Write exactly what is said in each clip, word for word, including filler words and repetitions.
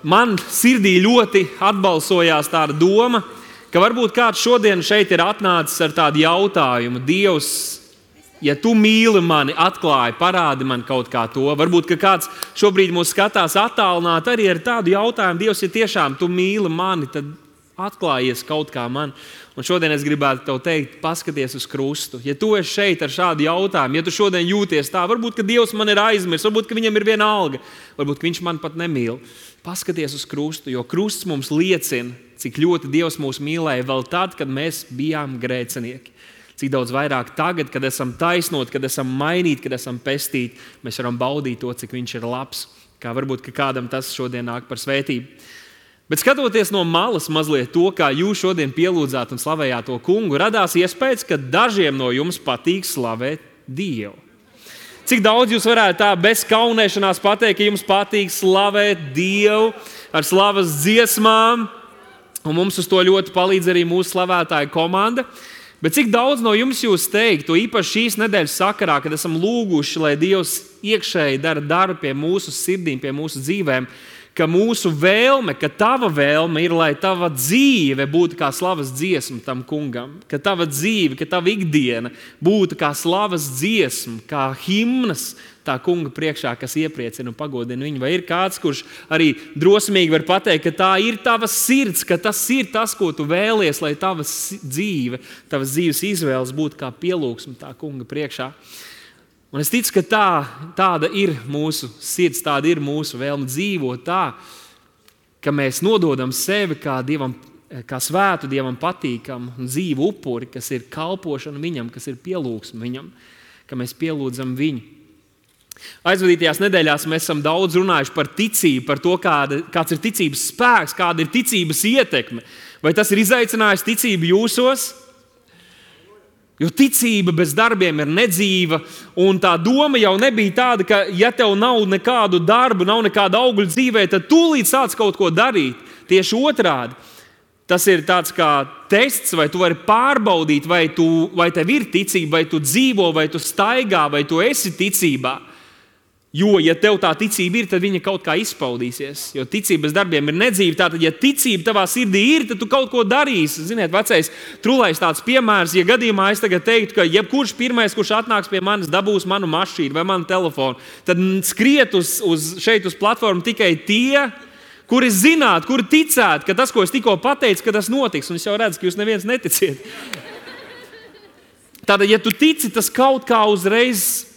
man sirdī ļoti atbalsojās tāda doma, ka varbūt kāds šodien šeit ir atnācis ar tādu jautājumu: Dievs, ja tu mīli mani, atklāji, parādi man kaut kā to. Varbūt, ka kāds šobrīd mūs skatās attālināt arī ar tādu jautājumu: Dievs, ja tiešām tu mīli mani, tad atklājies kaut kā man. Un šodien es gribētu tev teikt, paskaties uz krustu. Ja tu esi šeit ar šādu jautājumu, ja tu šodien jūties tā, varbūt, ka Dievs man ir aizmirsis, varbūt, ka viņam ir viena alga, varbūt, ka viņš man pat nemīl. Paskaties uz krustu, jo krusts mums liecina, cik ļoti Dievs mūs mīlēja vēl tad, kad mēs bijām grēcinieki. Cik daudz vairāk tagad, kad esam taisnoti, kad esam mainīti, kad esam pestīti, mēs varam baudīt to, cik viņš ir labs. Kā varbūt, ka kādam tas šodien nāk par svētību. Bet skatoties no malas mazliet to, kā jūs šodien pielūdzāt un slavējāt to kungu, radās iespējas, ka dažiem no jums patīk slavēt Dievu. Cik daudz jūs varētu tā bez kaunēšanās pateikt, ka jums patīk slavēt Dievu ar slavas dziesmām, un mums uz to ļoti palīdz arī mūsu slavētāja komanda. Bet cik daudz no jums jūs teikt, to īpaši šīs nedēļas sakarā, kad esam lūguši, lai Dievs iekšēji dara darbu pie mūsu sirdīm, pie mūsu dzīvēm, ka mūsu vēlme, ka tava vēlme ir, lai tava dzīve būtu kā slavas dziesma tam kungam, ka tava dzīve, ka tava ikdiena būtu kā slavas dziesma, kā himnas tā kunga priekšā, kas iepriecina un pagodina viņu. Vai ir kāds, kurš arī drosmīgi var pateikt, ka tā ir tava sirds, ka tas ir tas, ko tu vēlies, lai tava dzīve, tavas dzīves izvēles būtu kā pielūgsme tā kunga priekšā? Un es ticu, ka tā, tāda ir mūsu sirds, tāda ir mūsu vēlme dzīvot tā, ka mēs nododam sevi kā, dievam, kā svētu, Dievam patīkamu un dzīvu upuri, kas ir kalpošana viņam, kas ir pielūgsme viņam, ka mēs pielūdzam viņu. Aizvadītajās nedēļās mēs esam daudz runājuši par ticību, par to, kāda, kāds ir ticības spēks, kāda ir ticības ietekme. Vai tas ir izaicinājis ticību jūsos? Jo ticība bez darbiem ir nedzīva, un tā doma jau nebija tāda, ka ja tev nav nekādu darbu, nav nekāda augļa dzīvē, tad tūlīt sāc kaut ko darīt. Tieši otrādi. Tas ir tāds kā tests, vai tu vari pārbaudīt, vai, tu, vai tev ir ticība, vai tu dzīvo, vai tu staigā, vai tu esi ticībā. Jo, ja tev tā ticība ir, tad viņa kaut kā izpaudīsies. Jo ticība bez darbiem ir nedzīva. Tātad, ja ticība tavā sirdī ir, tad tu kaut ko darīsi. Ziniet, vecais trulais tāds piemērs, ja gadījumā es tagad teiktu, ka jebkurš pirmais, kurš atnāks pie manis, dabūs manu mašīnu vai manu telefonu, tad skriet uz, uz šeit uz platformu tikai tie, kuri zinātu, kuri ticētu, ka tas, ko es tikko pateicu, ka tas notiks. Un es jau redzu, ka jūs neviens neticiet. Tātad, ja tu tici, tas kaut kā uzreiz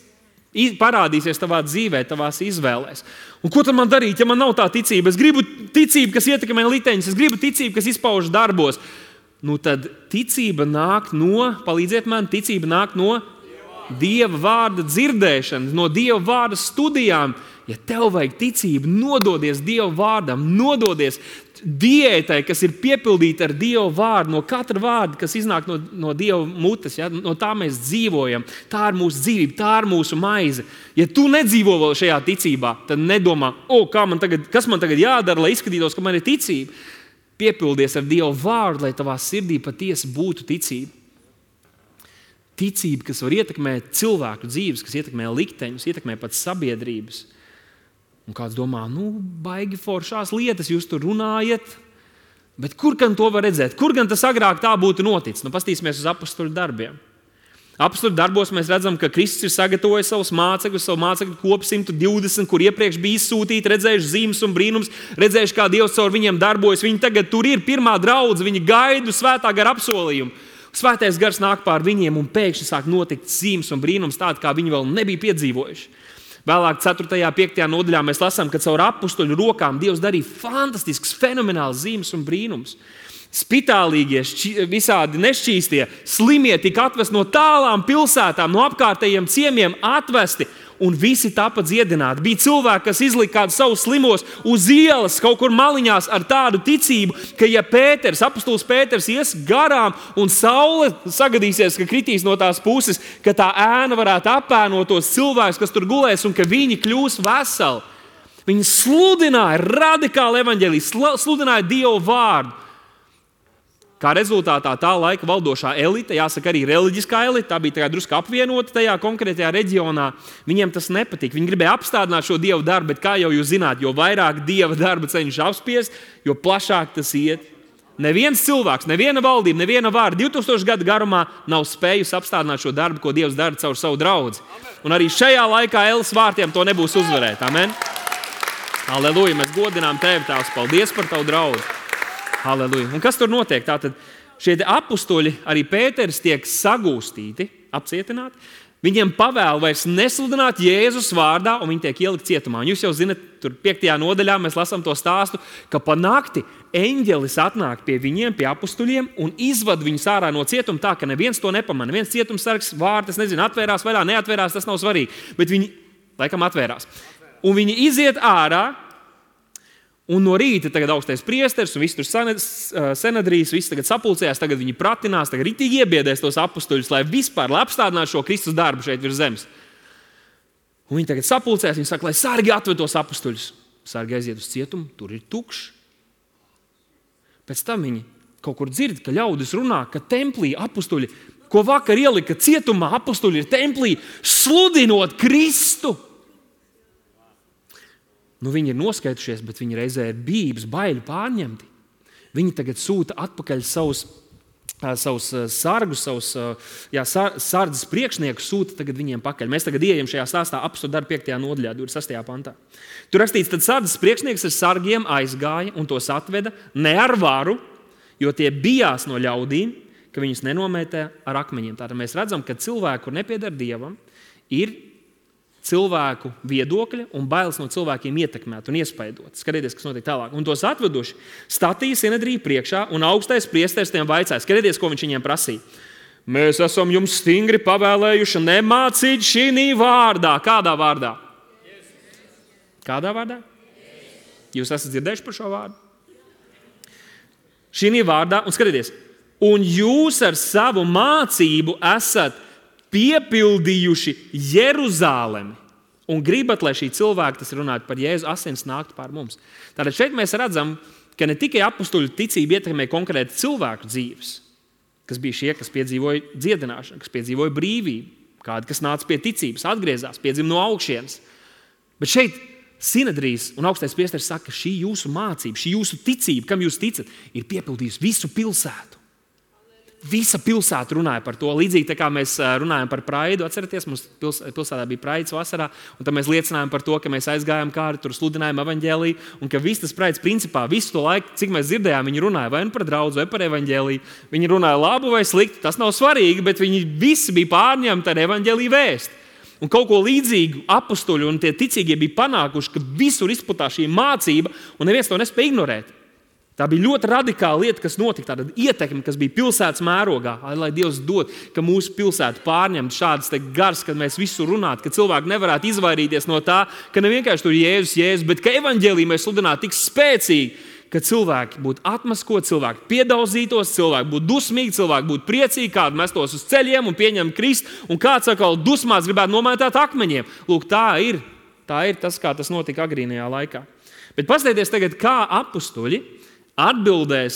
parādīsies tavā dzīvē, tavās izvēlēs. Un ko tad man darīt, ja man nav tā ticība? Es gribu ticību, kas ietekmē liteņus, es gribu ticību, kas izpaužas darbos. Nu tad ticība nāk no, palīdziet man, ticība nāk no Dieva vārda dzirdēšanas, no Dieva vārda studijām. Ja tev vajag ticību, nododies Dieva vārdam, nododies diētai, kas ir piepildīta ar Dieva vārdu, no katra vārda, kas iznāk no, no Dieva mutes, ja? No tā mēs dzīvojam, tā ir mūsu dzīvība, tā ir mūsu maize. Ja tu nedzīvo vēl šajā ticībā, tad nedomā, o, kā man tagad, kas man tagad jādara, lai izskatītos, ka man ir ticība. Piepildies ar Dieva vārdu, lai tavā sirdī patiesi būtu ticība. Ticība, kas var ietekmēt cilvēku dzīves, kas ietekmē likteņus, ietekmē pat sabiedrības. Un kāds domā, nu, baigi foršās lietas jūs tur runājat, bet kur gan to var redzēt? Kur gan tas agrāk tā būtu noticis? Nu, pastīsimies uz apostoļu darbiem. Apostoļu darbos mēs redzam, ka Kristus ir sagatavojis savus mācekļus, savu mācekļu kopu simt divdesmit, kur iepriekš bija izsūtīti, redzējuši zīmes un brīnums, redzējuši, kā Dievs caur viņiem darbojas. Viņi tagad tur ir pirmā draudze, viņi gaida svētā gara apsolījumu. Svētais gars nāk pār viņiem un pēkšņi sāk notikt zīmes un brīnums tādi, kā viņi vēl nebija piedzīvojuši. Vēlāk ceturtajā, piektajā nodaļā mēs lasām, ka caur apostoļu rokām Dievs darīja fantastisks, fenomenāls zīmes un brīnums. Spitālīgie, šķi, visādi nešķīstie, slimie tika atvesti no tālām pilsētām, no apkārtējiem ciemiem atvesti, un visi tapa dziedināti. Bija cilvēki, kas izlika kādus savus slimos uz ielas, kaut kur maliņās ar tādu ticību, ka ja Pēters, apostols Pēters ies garām un saule sagadīsies, ka kritīs no tās puses, ka tā ēna varētu apēnot tos cilvēkus, kas tur gulēs, un ka viņi kļūs veseli. Viņi sludināja radikālu evaņģēliju, sludināja Dievu vārdu. Kā rezultātā tā laika valdošā elite, jāsaka arī reliģiskā elite, tā bija drusku apvienota tajā konkrētajā reģionā, viņiem tas nepatika. Viņi gribēja apstādināt šo Dievu darbu, bet kā jau jūs zināt, jo vairāk Dieva darba cenšas apspiest, jo plašāk tas iet. Neviens cilvēks, neviena valdība, neviena vāra divtūkstošu gadu garumā nav spējusi apstādināt šo darbu, ko Dievs dara caur savu draudzi. Un arī šajā laikā Ēles vārtiem to nebūs uzvarēt. Amen. Halleluja, mēs godinām Tevi, Tēvs, paldies par Tavu draudzi. Halleluja. Un kas tur notiek? Tātad šie apustuļi, arī Pēteris, tiek sagūstīti, apcietināti. Viņiem pavēl vairs nesludināt Jēzus vārdā, un viņi tiek ielikt cietumā. Un jūs jau zinat, tur piektajā nodaļā mēs lasām to stāstu, ka pa nakti eņģelis atnāk pie viņiem, pie apustuļiem, un izvad viņus ārā no cietuma tā, ka neviens to nepamana. Neviens cietumsargs vārtas, nezinu, atvērās vai neatvērās, tas nav svarīgi. Bet viņi, laikam, atvērās. Un viņi iziet ārā, un no rīta tagad augstais priesteris, un viss tur senedrīs, viss tagad sapulcējās, tagad viņi pratinās, tagad ritīgi iebiedēs tos apustuļus, lai vispār lai apstādinātu šo Kristus darbu šeit virs zemes. Un viņi tagad sapulcējās, viņi saka, lai sargi atved tos apustuļus. Sargi aiziet uz cietumu, tur ir tukšs. Pēc tam viņi kaut kur dzird, ka ļaudis runā, ka templī apustuļi, ko vakar ielika cietumā, apustuļi ir templī, sludinot Kristu. Nu, viņi ir noskaitušies, bet viņi reizē ir bības, baiļu pārņemti. Viņi tagad sūta atpakaļ savus, savus sargus, savus jā, sardzes priekšniekus, sūta tagad viņiem pakaļ. Mēs tagad ieejam šajā stāstā apostolu darbu piektajā nodaļā, divdesmit sastajā pantā. Tur rakstīts, tad sardzes priekšnieks ar sargiem aizgāja un tos atveda ne ar varu, jo tie bijās no ļaudīm, ka viņus nenomētē ar akmeņiem. Tātad mēs redzam, ka cilvēku, kur nepieder Dievam, ir cilvēku viedokļa un bailes no cilvēkiem ietekmēt un iespaidot. Skatieties, kas notiek tālāk. Un tos atveduši statīja senedriju priekšā, un augstais priesteris tiem vaicāja. Skatieties, ko viņš viņiem prasīja. Mēs esam jums stingri pavēlējuši nemācīt šī vārdā. Kādā vārdā? Kādā vārdā? Jūs esat dzirdējuši par šo vārdu? Šī vārdā, un skatieties, un jūs ar savu mācību esat piepildījuši Jeruzālemi un gribat, lai šī cilvēka, tas runājot par Jēzu, asins nāktu pār mums. Tātad šeit mēs redzam, ka ne tikai apustuļu ticība ietekmē konkrēti cilvēku dzīves, kas bija šie, kas piedzīvoja dziedināšanu, kas piedzīvoja brīvību, kādi, kas nāca pie ticības, atgriezās, piedzima no augšienes. Bet šeit Sinedrijs un augstais priesteris saka, ka šī jūsu mācība, šī jūsu ticība, kam jūs ticat, ir piepildījusi visu pilsētu. Visa pilsēta runāja par to. Līdzīgi tā kā mēs runājam par praidu, atceraties, mums pilsētā bija praids vasarā, un tad mēs liecinājām par to, ka mēs aizgājām kāri, tur sludinājām evaņģēliju, un ka viss tas praids principā visu to laiku, cik mēs dzirdējām, viņi runāja vai nu par draudzi, vai par evaņģēliju. Viņi runāja labu vai sliktu, tas nav svarīgi, bet viņi visi bija pārņemti ar evaņģēliju vēsti. Un kaut ko līdzīgu apustuļi un tie ticīgie bija panākuši, ka visur izplatā šī mācība, un neviens to nespēja ignorēt. Tā bija ļoti radikāla lieta, kas notika, tāda ietekme, kas bija pilsētas mērogā. Lai Dievs dod, ka mūsu pilsētu pārņemtu šādas gars, kad mēs visu runātu, ka cilvēki nevarētu izvairīties no tā, ka ne vienkārši tur Jēzus, Jēzus, bet ka evaņģēliju mēs sludinātu tik spēcīgi, ka cilvēki būtu atmaskoti, cilvēki piedauzītos, cilvēki būtu dusmīgi, cilvēki būtu priecīgi, kādi mestos uz ceļiem un pieņem Kristu, un kāds atkal dusmās gribētu nomētāt akmeņiem. Lūk, tā ir, tā ir tas, kā tas notika agrīnajā laikā. Bet paskatieties tagad, kā apustuļi atbildēs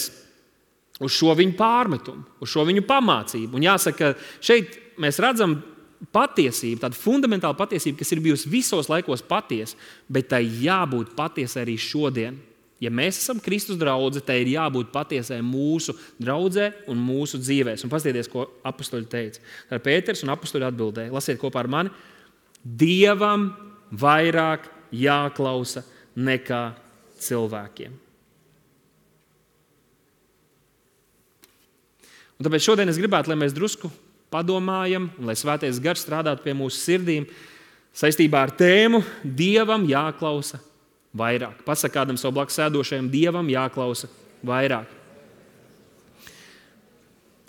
uz šo viņu pārmetumu, uz šo viņu pamācību. Un jāsaka, šeit mēs redzam patiesību, tādu fundamentālu patiesību, kas ir bijusi visos laikos patiesa, bet tai jābūt patiesai arī šodien. Ja mēs esam Kristus draudze, tai ir jābūt patiesai mūsu draudzē un mūsu dzīvēs. Un paskatieties, ko apustuļi teica. Tā ir Pēters un apustuļi atbildēja. Lasiet kopā ar mani. Dievam vairāk jāklausa nekā cilvēkiem. Un tāpēc šodien es gribētu, lai mēs drusku padomājam, un lai Svētais Gars strādātu pie mūsu sirdīm saistībā ar tēmu Dievam jāklausa vairāk. Pasaka kādam savu blakus sēdošajam, Dievam jāklausa vairāk.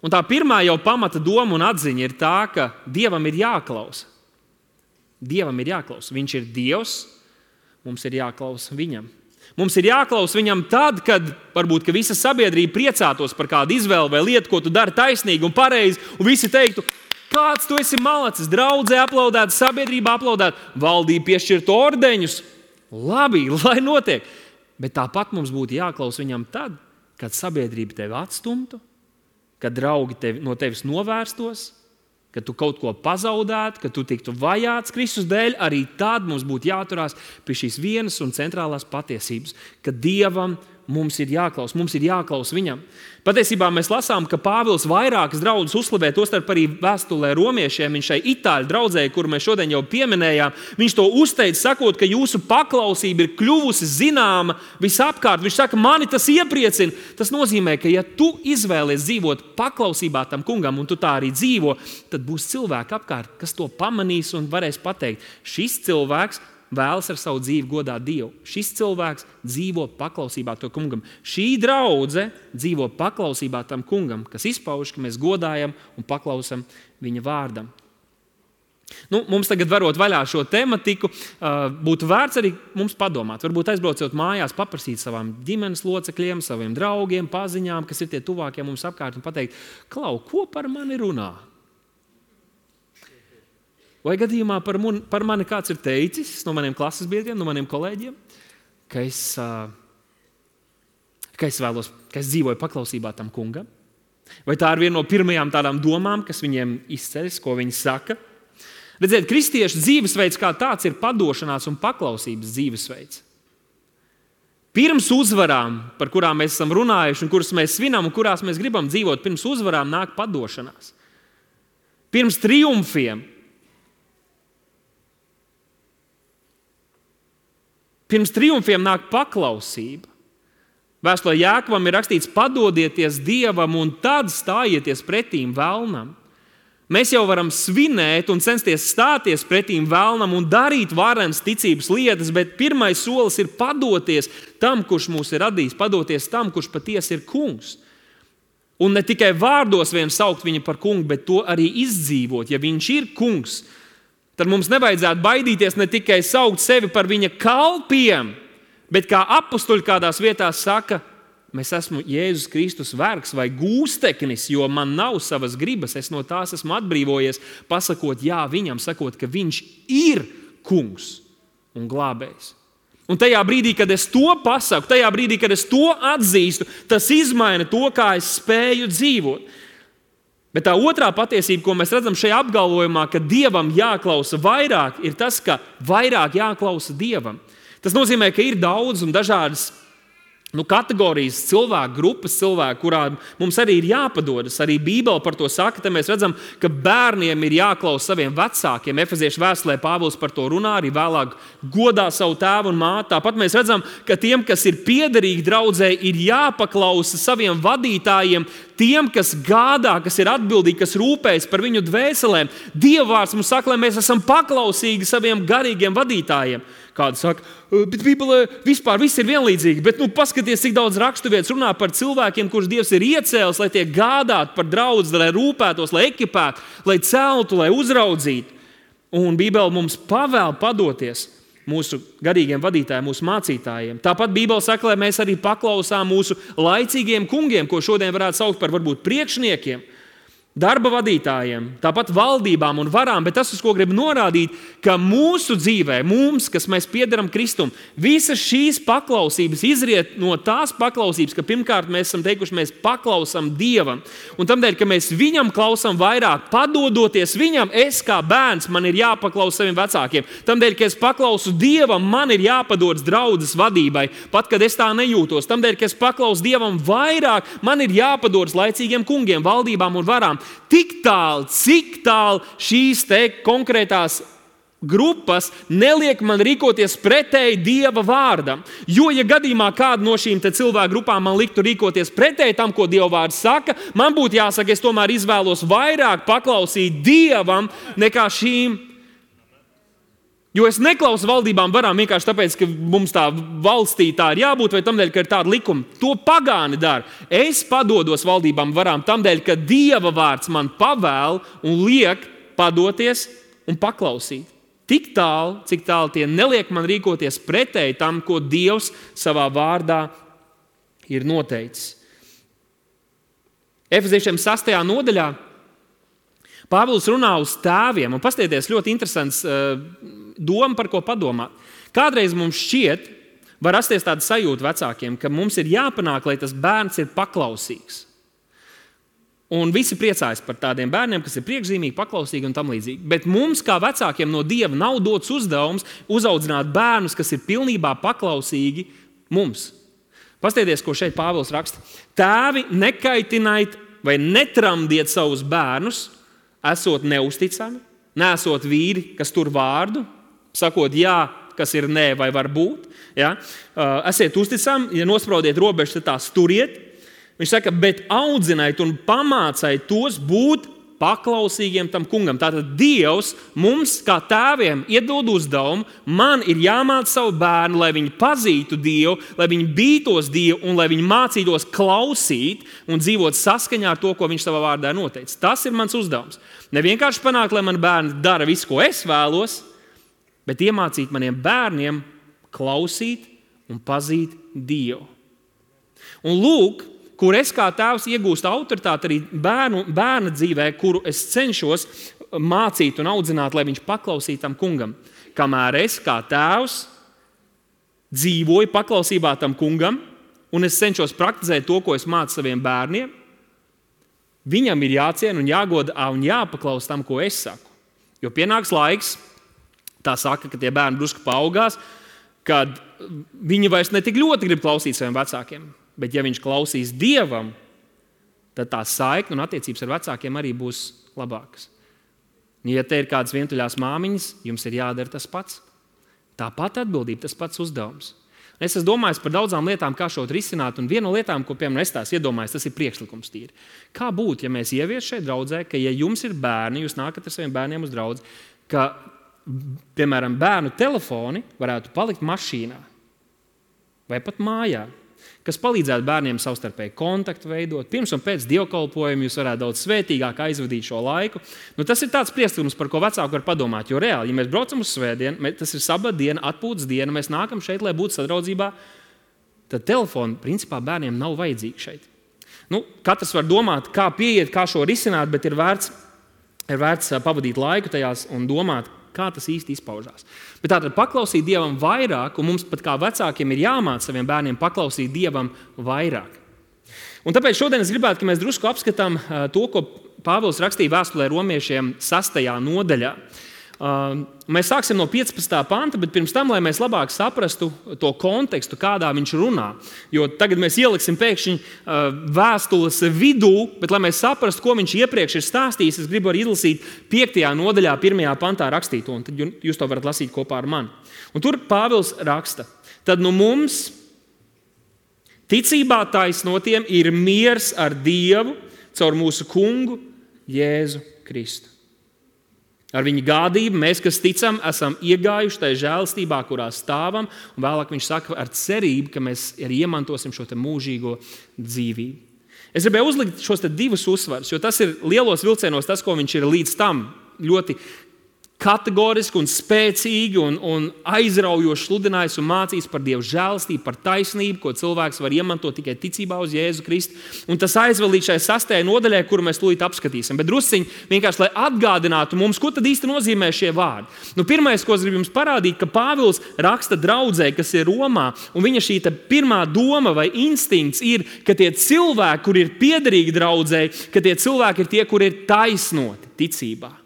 Un tā pirmā jau pamata doma un atziņa ir tā, ka Dievam ir jāklausa. Dievam ir jāklausa. Viņš ir Dievs, mums ir jāklausa viņam. Mums ir jāklausa viņam tad, kad varbūt ka visa sabiedrība priecātos par kādu izvēli vai lietu, ko tu dari taisnīgi un pareizi, un visi teiktu, kāds tu esi malacis, draudzē aplaudēt, sabiedrība aplaudēt, valdība piešķirt ordeņus. Labi, lai notiek. Bet tāpat mums būtu jāklausa viņam tad, kad sabiedrība tevi atstumtu, ka draugi tevi, no tevis novērstos, ka tu kaut ko pazaudētu, ka tu tiktu vajāts Kristus dēļ, arī tad mums būtu jāturās pie šīs vienas un centrālās patiesības, ka Dievam mums ir jāklaus, mums ir jāklaus viņam. Patiesībā mēs lasām, ka Pāvils vairākas draudzes uzslavē, tostarp arī vēstulē romiešiem, viņš šai itāļu draudzē, kuru mēs šodien jau pieminējām, viņš to uzteica, sakot, ka jūsu paklausība ir kļuvusi zināma visapkārt. Viņš saka, mani tas iepriecina. Tas nozīmē, ka ja tu izvēlies dzīvot paklausībā tam kungam, un tu tā arī dzīvo, tad būs cilvēki apkārt, kas to pamanīs un varēs pateikt, šis cilvēks vēlas ar savu dzīvi godāt Dievu. Šis cilvēks dzīvo paklausībā to kungam. Šī draudze dzīvo paklausībā tam kungam, kas izpauž, ka mēs godājam un paklausam viņa vārdam. Nu, mums tagad varot vaļā šo tematiku, būtu vērts arī mums padomāt. Varbūt aizbraucot mājās, paprasīt savām ģimenes locekļiem, saviem draugiem, paziņām, kas ir tie tuvākie mums apkārt, un pateikt, klau, ko par mani runā? Vai gadījumā par, mun, par mani kāds ir teicis no maniem klases biedriem, no maniem kolēģiem, ka es, ka es vēlos, ka es dzīvoju paklausībā tam kungam? Vai tā ir viena no pirmajām tādām domām, kas viņiem izceļas, ko viņi saka? Redziet, kristiešu dzīvesveids kā tāds ir padošanās un paklausības dzīvesveids. Pirms uzvarām, par kurām mēs esam runājuši un kuras mēs svinām un kurās mēs gribam dzīvot, pirms uzvarām nāk padošanās. Pirms triumfiem, Pirms triumfiem nāk paklausība. Vēstulē Jākovam ir rakstīts, padodieties Dievam un tad stājieties pretīm velnam. Mēs jau varam svinēt un censties stāties pretīm velnam un darīt varenas ticības lietas, bet pirmais solis ir padoties tam, kurš mūs ir radījis, padoties tam, kurš patiesi ir kungs. Un ne tikai vārdos vien saukt viņu par kungu, bet to arī izdzīvot, ja viņš ir kungs. Tad mums nevajadzētu baidīties ne tikai saukt sevi par viņa kalpiem, bet kā apustuļi kādās vietās saka, mēs esmu Jēzus Kristus vergs vai gūsteknis, jo man nav savas gribas, es no tās esmu atbrīvojies, pasakot jā viņam, sakot, ka viņš ir kungs un glābējs. Un tajā brīdī, kad es to pasaku, tajā brīdī, kad es to atzīstu, tas izmaina to, kā es spēju dzīvot. Bet tā otrā patiesība, ko mēs redzam šajā apgalvojumā, ka Dievam jāklausa vairāk, ir tas, ka vairāk jāklausa Dievam. Tas nozīmē, ka ir daudz un dažādas nu, kategorijas, cilvēku grupas, cilvēku, kurām mums arī ir jāpadodas. Arī Bībele par to saka, te mēs redzam, ka bērniem ir jāklausa saviem vecākiem. Efeziešu vēstulē Pāvils par to runā, arī vēlāk godā savu tēvu un māti. Tāpat mēs redzam, ka tiem, kas ir piederīgi draudzē, ir jāpaklausa saviem vadītājiem, tiem, kas gādā, kas ir atbildīgi, kas rūpējas par viņu dvēselēm. Dieva vārds mums saka, lai mēs esam paklausīgi saviem garīgiem vadītājiem. Kādi saka, bet Bībelē vispār viss ir vienlīdzīgi, bet nu, paskaties, cik daudz raksturvietas runā par cilvēkiem, kurus Dievs ir iecēlis, lai tie gādātu par draudzi, lai rūpētos, lai ekipētu, lai celtu, lai uzraudzītu. Un Bībele mums pavēl padoties mūsu garīgiem vadītājiem, mūsu mācītājiem. Tāpat Bībele saka, lai mēs arī paklausām mūsu laicīgiem kungiem, ko šodien varētu saukt par varbūt priekšniekiem, darba vadītājiem, tāpat valdībām un varām, bet tas, uz ko gribu norādīt, ka mūsu dzīvē, mums, kas mēs piederam Kristum, visas šīs paklausības izriet no tās paklausības, ka pirmkārt mēs esam teikuši, mēs paklausam Dievam. Un tamdēļ, ka mēs viņam klausam vairāk, padodoties viņam, es kā bērns, man ir jāpaklausa saviem vecākiem. Tamdēļ, ka es paklausu Dievam, man ir jāpadodas draudzes vadībai, pat kad es tā nejūtos. Tamdēļ, ka es paklausu Dievam vairāk, man ir jāpadodas laicīgiem kungiem, valdībām un varām. Tik tālu, cik tālu šīs te konkrētās grupas neliek man rīkoties pretēji Dieva vārdam. Jo, ja gadījumā kāda no šīm te cilvēku grupām man liktu rīkoties pretēji tam, ko Dieva vārds saka, man būtu jāsaka, es tomēr izvēlos vairāk paklausīt Dievam nekā šīm. Jo es neklausu valdībām varām vienkārši tāpēc, ka mums tā valstī tā ir jābūt, vai tamdēļ, ka ir tāda likuma. To pagāni dara. Es padodos valdībām varām tamdēļ, ka Dieva vārds man pavēl un liek padoties un paklausīt. Tik tālu, cik tālu tie neliek man rīkoties pretēji tam, ko Dievs savā vārdā ir noteicis. Efeziešiem sastajā nodaļā Pāvils runā uz tēviem, un paskatieties, ļoti interesants uh, doma, par ko padomāt. Kādreiz mums šķiet, var rasties tāda sajūta vecākiem, ka mums ir jāpanāk, lai tas bērns ir paklausīgs. Un visi priecājas par tādiem bērniem, kas ir priekšzīmīgi, paklausīgi un tam līdzīgi. Bet mums, kā vecākiem no Dieva, nav dots uzdevums uzaudzināt bērnus, kas ir pilnībā paklausīgi mums. Pastieties, ko šeit Pāvils raksta. Tēvi, nekaitiniet vai netramdiet savus bērnus, esot neusticami, neesot vīri, kas tur vārdu, sakot jā, kas ir nē vai var būt. Ja? Esiet uzticami, ja nospraudiet robežas, tad tās turiet. Viņš saka, bet audziniet un pamāciet tos būt paklausīgiem tam kungam. Tātad Dievs mums, kā tēviem, iedod uzdevumu, man ir jāmāca savu bērnu, lai viņi pazītu Dievu, lai viņi bītos Dievu un lai viņi mācītos klausīt un dzīvot saskaņā ar to, ko viņš savā vārdā noteica. Tas ir mans uzdevums. Ne vienkārši panākt, lai man bērni dara visu, ko es vēlos, bet iemācīt maniem bērniem klausīt un pazīt Dievu. Un lūk, kur es kā tēvs iegūstu autoritāti arī bērnu, bērna dzīvē, kuru es cenšos mācīt un audzināt, lai viņš paklausītu tam kungam. Kamēr es kā tēvs dzīvoju paklausībā tam kungam, un es cenšos praktizēt to, ko es mācu saviem bērniem, viņam ir jāciena un jāgoda un jāpaklaus tam, ko es saku. Jo pienāks laiks, tā saka, ka tie bērni drusku paaugās, kad viņi vairs ne tik ļoti grib klausīt saviem vecākiem. Bet ja viņš klausīs Dievam, tad tā saikne un attiecības ar vecākiem arī būs labākas. Ja te ir kādas vientuļās māmiņas, jums ir jādara tas pats. Tāpat atbildība, tas pats uzdevums. Es esmu domājis par daudzām lietām, kā šo risināt, un viena no lietām, ko piemēram es tās iedomājos, tas ir priekšlikums tīri. Kā būtu, ja mēs ievies šeit draudzē, ka ja jums ir bērni, jūs nākat ar saviem bērniem uz draudzi, ka, piemēram, bērnu telefoni varētu palikt mašīnā vai pat mājā, kas palīdzētu bērniem savstarpēji kontaktu veidot. Pirms un pēc dievkalpojuma jūs varētu daudz svētīgāk aizvadīt šo laiku. Nu, tas ir tāds priekšlikums, par ko vecāki var padomāt. Jo reāli, ja mēs braucam uz svētdienu, tas ir sabata diena, atpūtas diena, mēs nākam šeit, lai būtu sadraudzībā, tad telefoni principā bērniem nav vajadzīgi šeit. Nu, katrs var domāt, kā pieiet, kā šo risināt, bet ir vērts, ir vērts pavadīt laiku tajās un domāt, kā tas īsti izpaužās. Bet tātad paklausīt Dievam vairāk, un mums pat kā vecākiem ir jāmāca saviem bērniem paklausīt Dievam vairāk. Un tāpēc šodien es gribētu, ka mēs drusku apskatām to, ko Pāvils rakstīja vēstulē romiešiem sastajā nodaļā. Mēs sāksim no piecpadsmitā panta, bet pirms tam, lai mēs labāk saprastu to kontekstu, kādā viņš runā. Jo tagad mēs ieliksim pēkšņi vēstules vidū, bet lai mēs saprastu, ko viņš iepriekš ir stāstījis, es gribu arī izlasīt piektajā nodaļā, pirmajā pantā rakstīto, un tad jūs to varat lasīt kopā ar mani. Un tur Pāvils raksta, tad nu mums ticībā taisnotiem ir miers ar Dievu caur mūsu kungu Jēzu Kristu. Ar viņa gādību mēs, kas ticam, esam iegājuši tajā žēlastībā, kurā stāvam, un vēlāk viņš saka ar cerību, ka mēs arī iemantosim šo te mūžīgo dzīvību. Es gribēju uzlikt šos te divus uzsvarus, jo tas ir lielos vilcienos tas, ko viņš ir līdz tam ļoti kategoriski un spēcīgi un, un aizraujoši sludinājis un mācījis par Dievu žēlastību, par taisnību, ko cilvēks var iemantot tikai ticībā uz Jēzu Kristu. Un tas aizvel līdz šai sastajai nodaļai, kuru mēs tūlīt apskatīsim. Bet drusciņi vienkārši, lai atgādinātu mums, ko tad īsti nozīmē šie vārdi. Nu, pirmais, ko es gribu jums parādīt, ka Pāvils raksta draudzē, kas ir Romā, un viņa šī pirmā doma vai instinkts ir, ka tie cilvēki, kur ir piederīgi draudzē, ka tie cilvēki ir tie, kur ir taisnoti ticībā.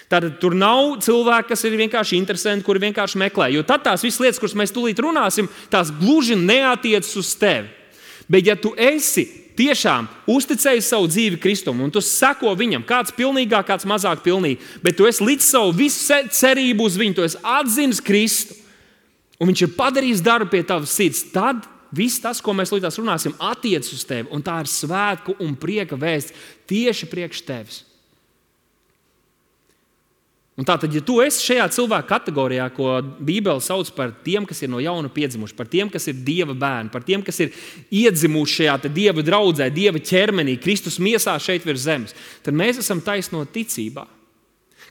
Tātad tur nav cilvēki, kas ir vienkārši interesanti, kuri vienkārši meklē. Jo tad tās visas lietas, kuras mēs tūlīt runāsim, tās gluži neatiecas uz tevi. Bet ja tu esi tiešām uzticējis savu dzīvi Kristum, un tu seko viņam, kāds pilnīgāk, kāds mazāk pilnīgi, bet tu esi līdz savu visu cerību uz viņu, tu esi atzinis Kristu, un viņš ir padarījis darbu pie tavas sirds, tad viss tas, ko mēs līdz runāsim, attiecas uz tevi, un tā ir svētku un prieka vēsts tieši priekš tevis. Un tātad, ja tu esi šajā cilvēku kategorijā, ko Bībele sauc par tiem, kas ir no jauna piedzimuši, par tiem, kas ir Dieva bērni, par tiem, kas ir iedzimuši šajā te Dieva draudzē, Dieva ķermenī, Kristus miesā šeit virs zemes, tad mēs esam taisnoti ticībā.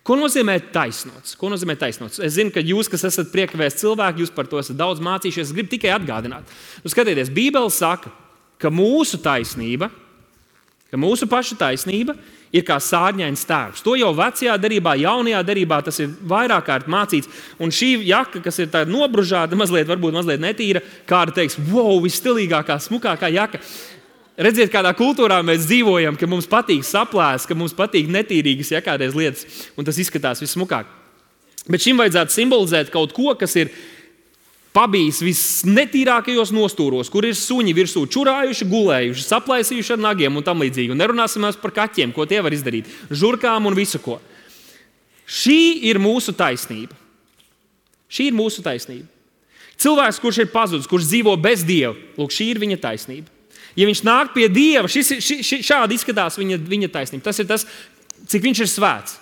Ko nozīmē taisnots? Ko nozīmē taisnots? Es zinu, ka jūs, kas esat priekavēsti cilvēki, jūs par to esat daudz mācījušies, es gribu tikai atgādināt. Nu, skatieties, Bībele saka, ka mūsu taisnība, ka mūsu paša taisnība ir kā sārņains tērps. To jau vecajā derībā, jaunajā derībā tas ir vairāk kārt mācīts. Un šī jaka, kas ir tāda nobružāta, mazliet, varbūt mazliet netīra, kāda teiks, wow, visstilīgākā, smukākā jaka. redziet, kādā kultūrā mēs dzīvojam, ka mums patīk saplēst, ka mums patīk netīrīgas, ja kādreiz lietas, un tas izskatās vissmukāk. Bet šim vajadzētu simbolizēt kaut ko, kas ir pabijis visnetīrākajos nostūros, kur ir suņi virsū čurājuši, gulējuši, saplaisījuši ar nagiem un tam līdzīgi. Un nerunāsim mēs par kaķiem, ko tie var izdarīt, žurkām un visu ko. Šī ir mūsu taisnība. Šī ir mūsu taisnība. Cilvēks, kurš ir pazudis, kurš dzīvo bez Dieva, lūk, šī ir viņa taisnība. Ja viņš nāk pie Dieva, šis, ši, ši, šādi izskatās viņa, viņa taisnība. Tas ir tas, cik viņš ir svēts,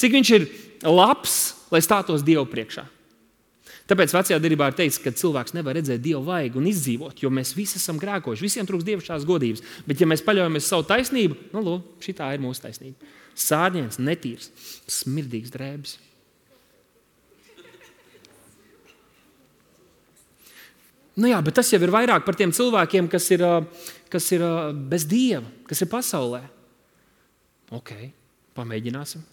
cik viņš ir labs, lai stātos Dievu priekšā. Tāpēc vecajā derībā ir teikts, ka cilvēks nevar redzēt Dievu vaigu un izdzīvot, jo mēs visi esam grēkojuši, visiem trūkst dievišķās godības. Bet ja mēs paļaujamies savu taisnību, nu, lūk, šitā ir mūsu taisnība. Sārņēns, netīrs, smirdīgs drēbis. Nu jā, bet tas jau ir vairāk par tiem cilvēkiem, kas ir, kas ir bez Dieva, kas ir pasaulē. Ok, pamēģināsim.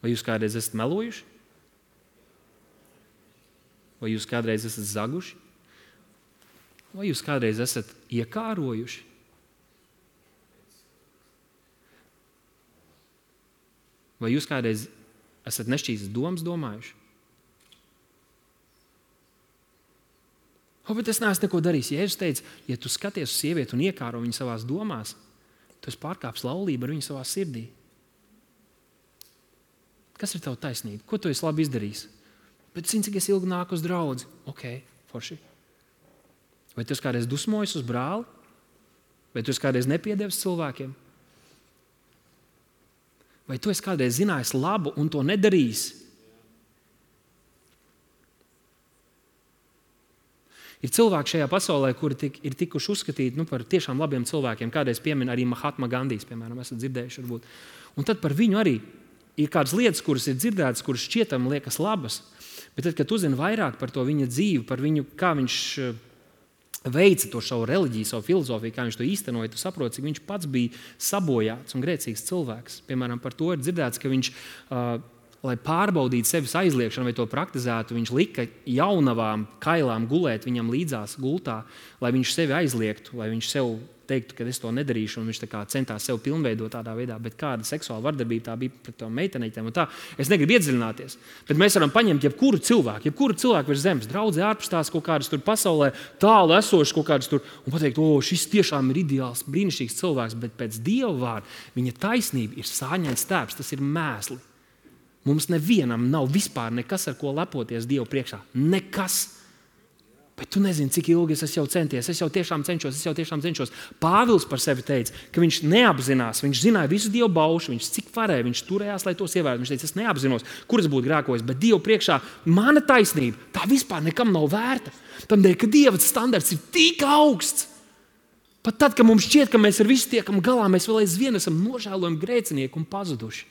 Vai jūs kādreiz esat melojuši? Vai jūs kādreiz esat zaguši? Vai jūs kādreiz esat iekārojuši? Vai jūs kādreiz esat nešķīstas domas domājuši? O, bet es neesmu neko darījis. Jēzus teica, ja tu skaties uz sievieti un iekāro viņu savās domās, tu esi pārkāpis laulību ar viņu savā sirdī. Kas ir tava taisnība? Ko tu esi labi izdarījis? Bet zini, cik es ilgi nāku uz draudzi? Ok, forši. Vai tu esi kādreiz dusmojis uz brāli? Vai tu esi kādreiz nepiedevis cilvēkiem? Vai tu esi kādreiz zinājis labu un to nedarījis? Ir cilvēki šajā pasaulē, kuri tik, ir tikuši uzskatīti nu, par tiešām labiem cilvēkiem. Kādreiz piemin arī Mahatma Gandijs, piemēram, esat dzirdējuši varbūt. Un tad par viņu arī ir kādas lietas, kuras ir dzirdētas, kuras šķietam liekas labas. Bet tad, kad tu zini vairāk par to viņa dzīvi, par viņu, kā viņš veica to savu reliģiju, savu filozofiju, kā viņš to īstenoja, tu saproti, cik viņš pats bija sabojāts un grēcīgs cilvēks. Piemēram, par to ir dzirdēts, ka viņš, uh, lai pārbaudītu sevis aizliekšanu vai to praktizētu, viņš lika jaunavām kailām gulēt viņam līdzās gultā, lai viņš sevi aizliegtu, lai viņš sev teiktu, ka es to nedarīšu, un viņš tā kā centās sev pilnveidot tādā veidā, bet kāda seksuāla vardarbība tā bija pret tām meitenītēm un tā. Es negribu iedziļināties, bet mēs varam paņemt jebkuru cilvēku, jebkuru cilvēku virs zemes, draudzē ārpus tās kaut kādas tur pasaulē, tālu esošas kaut kādas tur, un pateikt, o, šis tiešām ir ideāls, brīnišķīgs cilvēks, bet pēc Dieva vārda viņa taisnība ir sāņains tēps, tas ir mēsli. Mums nevienam nav vispār nekas, ar ko lepoties Dievu priekšā. Nekas. Bet tu nezini, cik ilgi es jau centies, es jau tiešām cenšos, es jau tiešām cenšos. Pāvils par sevi teica, ka viņš neapzinās, viņš zināja visu Dievu baušu, viņš cik varēja, viņš turējās, lai tos ievērtu. Viņš teica, es neapzinos, kur es būtu grēkojis, bet Dievu priekšā mana taisnība, tā vispār nekam nav vērta. Tādēļ, ka Dieva standarts ir tik augsts. Pat tad, kad mums šķiet, ka mēs ar visu tiekam galā, mēs vēl aizvien esam nožēlojami grēcinieki un pazuduši.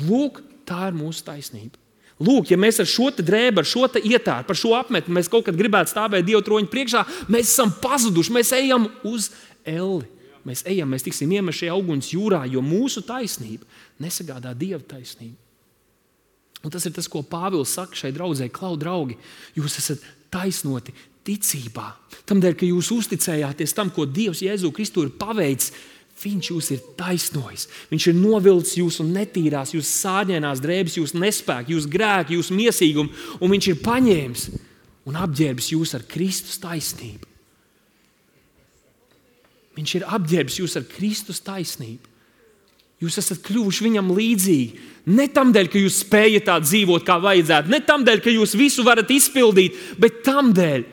Lūk, tā ir mūsu taisnība. Lūk, ja mēs ar šo te drēbu, ar šo te ietāru, par šo apmetni, mēs kaut kad gribētu stāvēt Dieva troņa priekšā, mēs esam pazuduši, mēs ejam uz elli. Mēs ejam, mēs tiksim iemest šajā uguns jūrā, jo mūsu taisnība nesagādā Dieva taisnību. Un tas ir tas, ko Pāvils saka šai draudzē, klau draugi, jūs esat taisnoti ticībā. Tamdēļ, ka jūs uzticējāties tam, ko Dievs Jēzu Kristu ir paveicis, Viņš jūs ir taisnojis. Viņš ir novilcis jūsu netīrās, jūsu sāģēnās drēbes, jūsu nespēku, jūsu grēku, jūsu miesīgumu, un viņš ir paņēmis un apģērbis jūs ar Kristus taisnību. Viņš ir apģērbis jūs ar Kristus taisnību. Jūs esat kļuvuši viņam līdzīgi. Ne tamdēļ, ka jūs spējat tā dzīvot, kā vajadzētu, ne tamdēļ, ka jūs visu varat izpildīt, bet tamdēļ,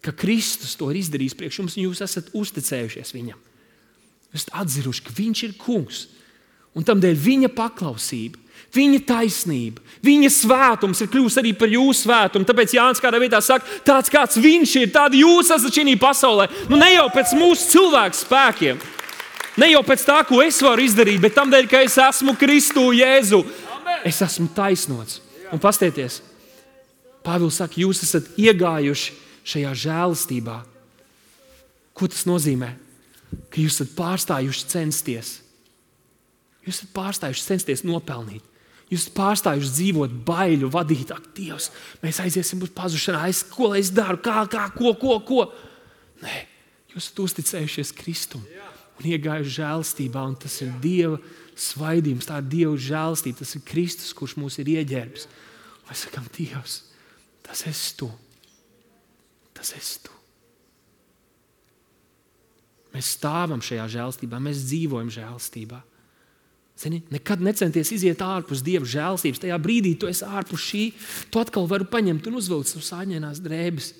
ka Kristus to ir izdarījis priekš jums, un jūs esat uzticējušies viņam. Jūs esat atziruši, ka viņš ir kungs, un tamdēļ viņa paklausība, viņa taisnība, viņa svētums ir kļuvis arī par jūsu svētumu. Tāpēc Jānis kādā vietā saka, tāds kāds viņš ir, tādi jūs esat šī pasaulē. Nu ne jau pēc mūsu cilvēku spēkiem, ne jau pēc tā, ko es varu izdarīt, bet tamdēļ, ka es esmu Kristu Jēzu. Es esmu taisnots. Un pastieties, Pāvils saka, jūs esat iegājuši šajā žēlastībā. Ko tas nozīmē? Ka jūs esat pārstājuši censties. Jūs esat pārstājuši censties nopelnīt. Jūs esat pārstājuši dzīvot baiļu, vadīt, ak, Dievs, mēs aiziesim uz pazušanā, es, ko lai es daru, kā, kā, ko, ko, ko. Nē, Jūs esat uzticējušies Kristum un iegājuši žēlstībā, un tas ir Dieva svaidījums, tā ir Dieva žēlstība, tas ir Kristus, kurš mūs ir ieģērbis. Mēs sakām, Dievs, tas esi tu. Tas esi tu. Mēs stāvam šajā žēlstībā, mēs dzīvojam žēlstībā. Zini, nekad necenties iziet ārpus Dieva žēlstības. Tajā brīdī tu esi ārpus šī, tu atkal vari paņemt un uzvilkt savus āņainās drēbes.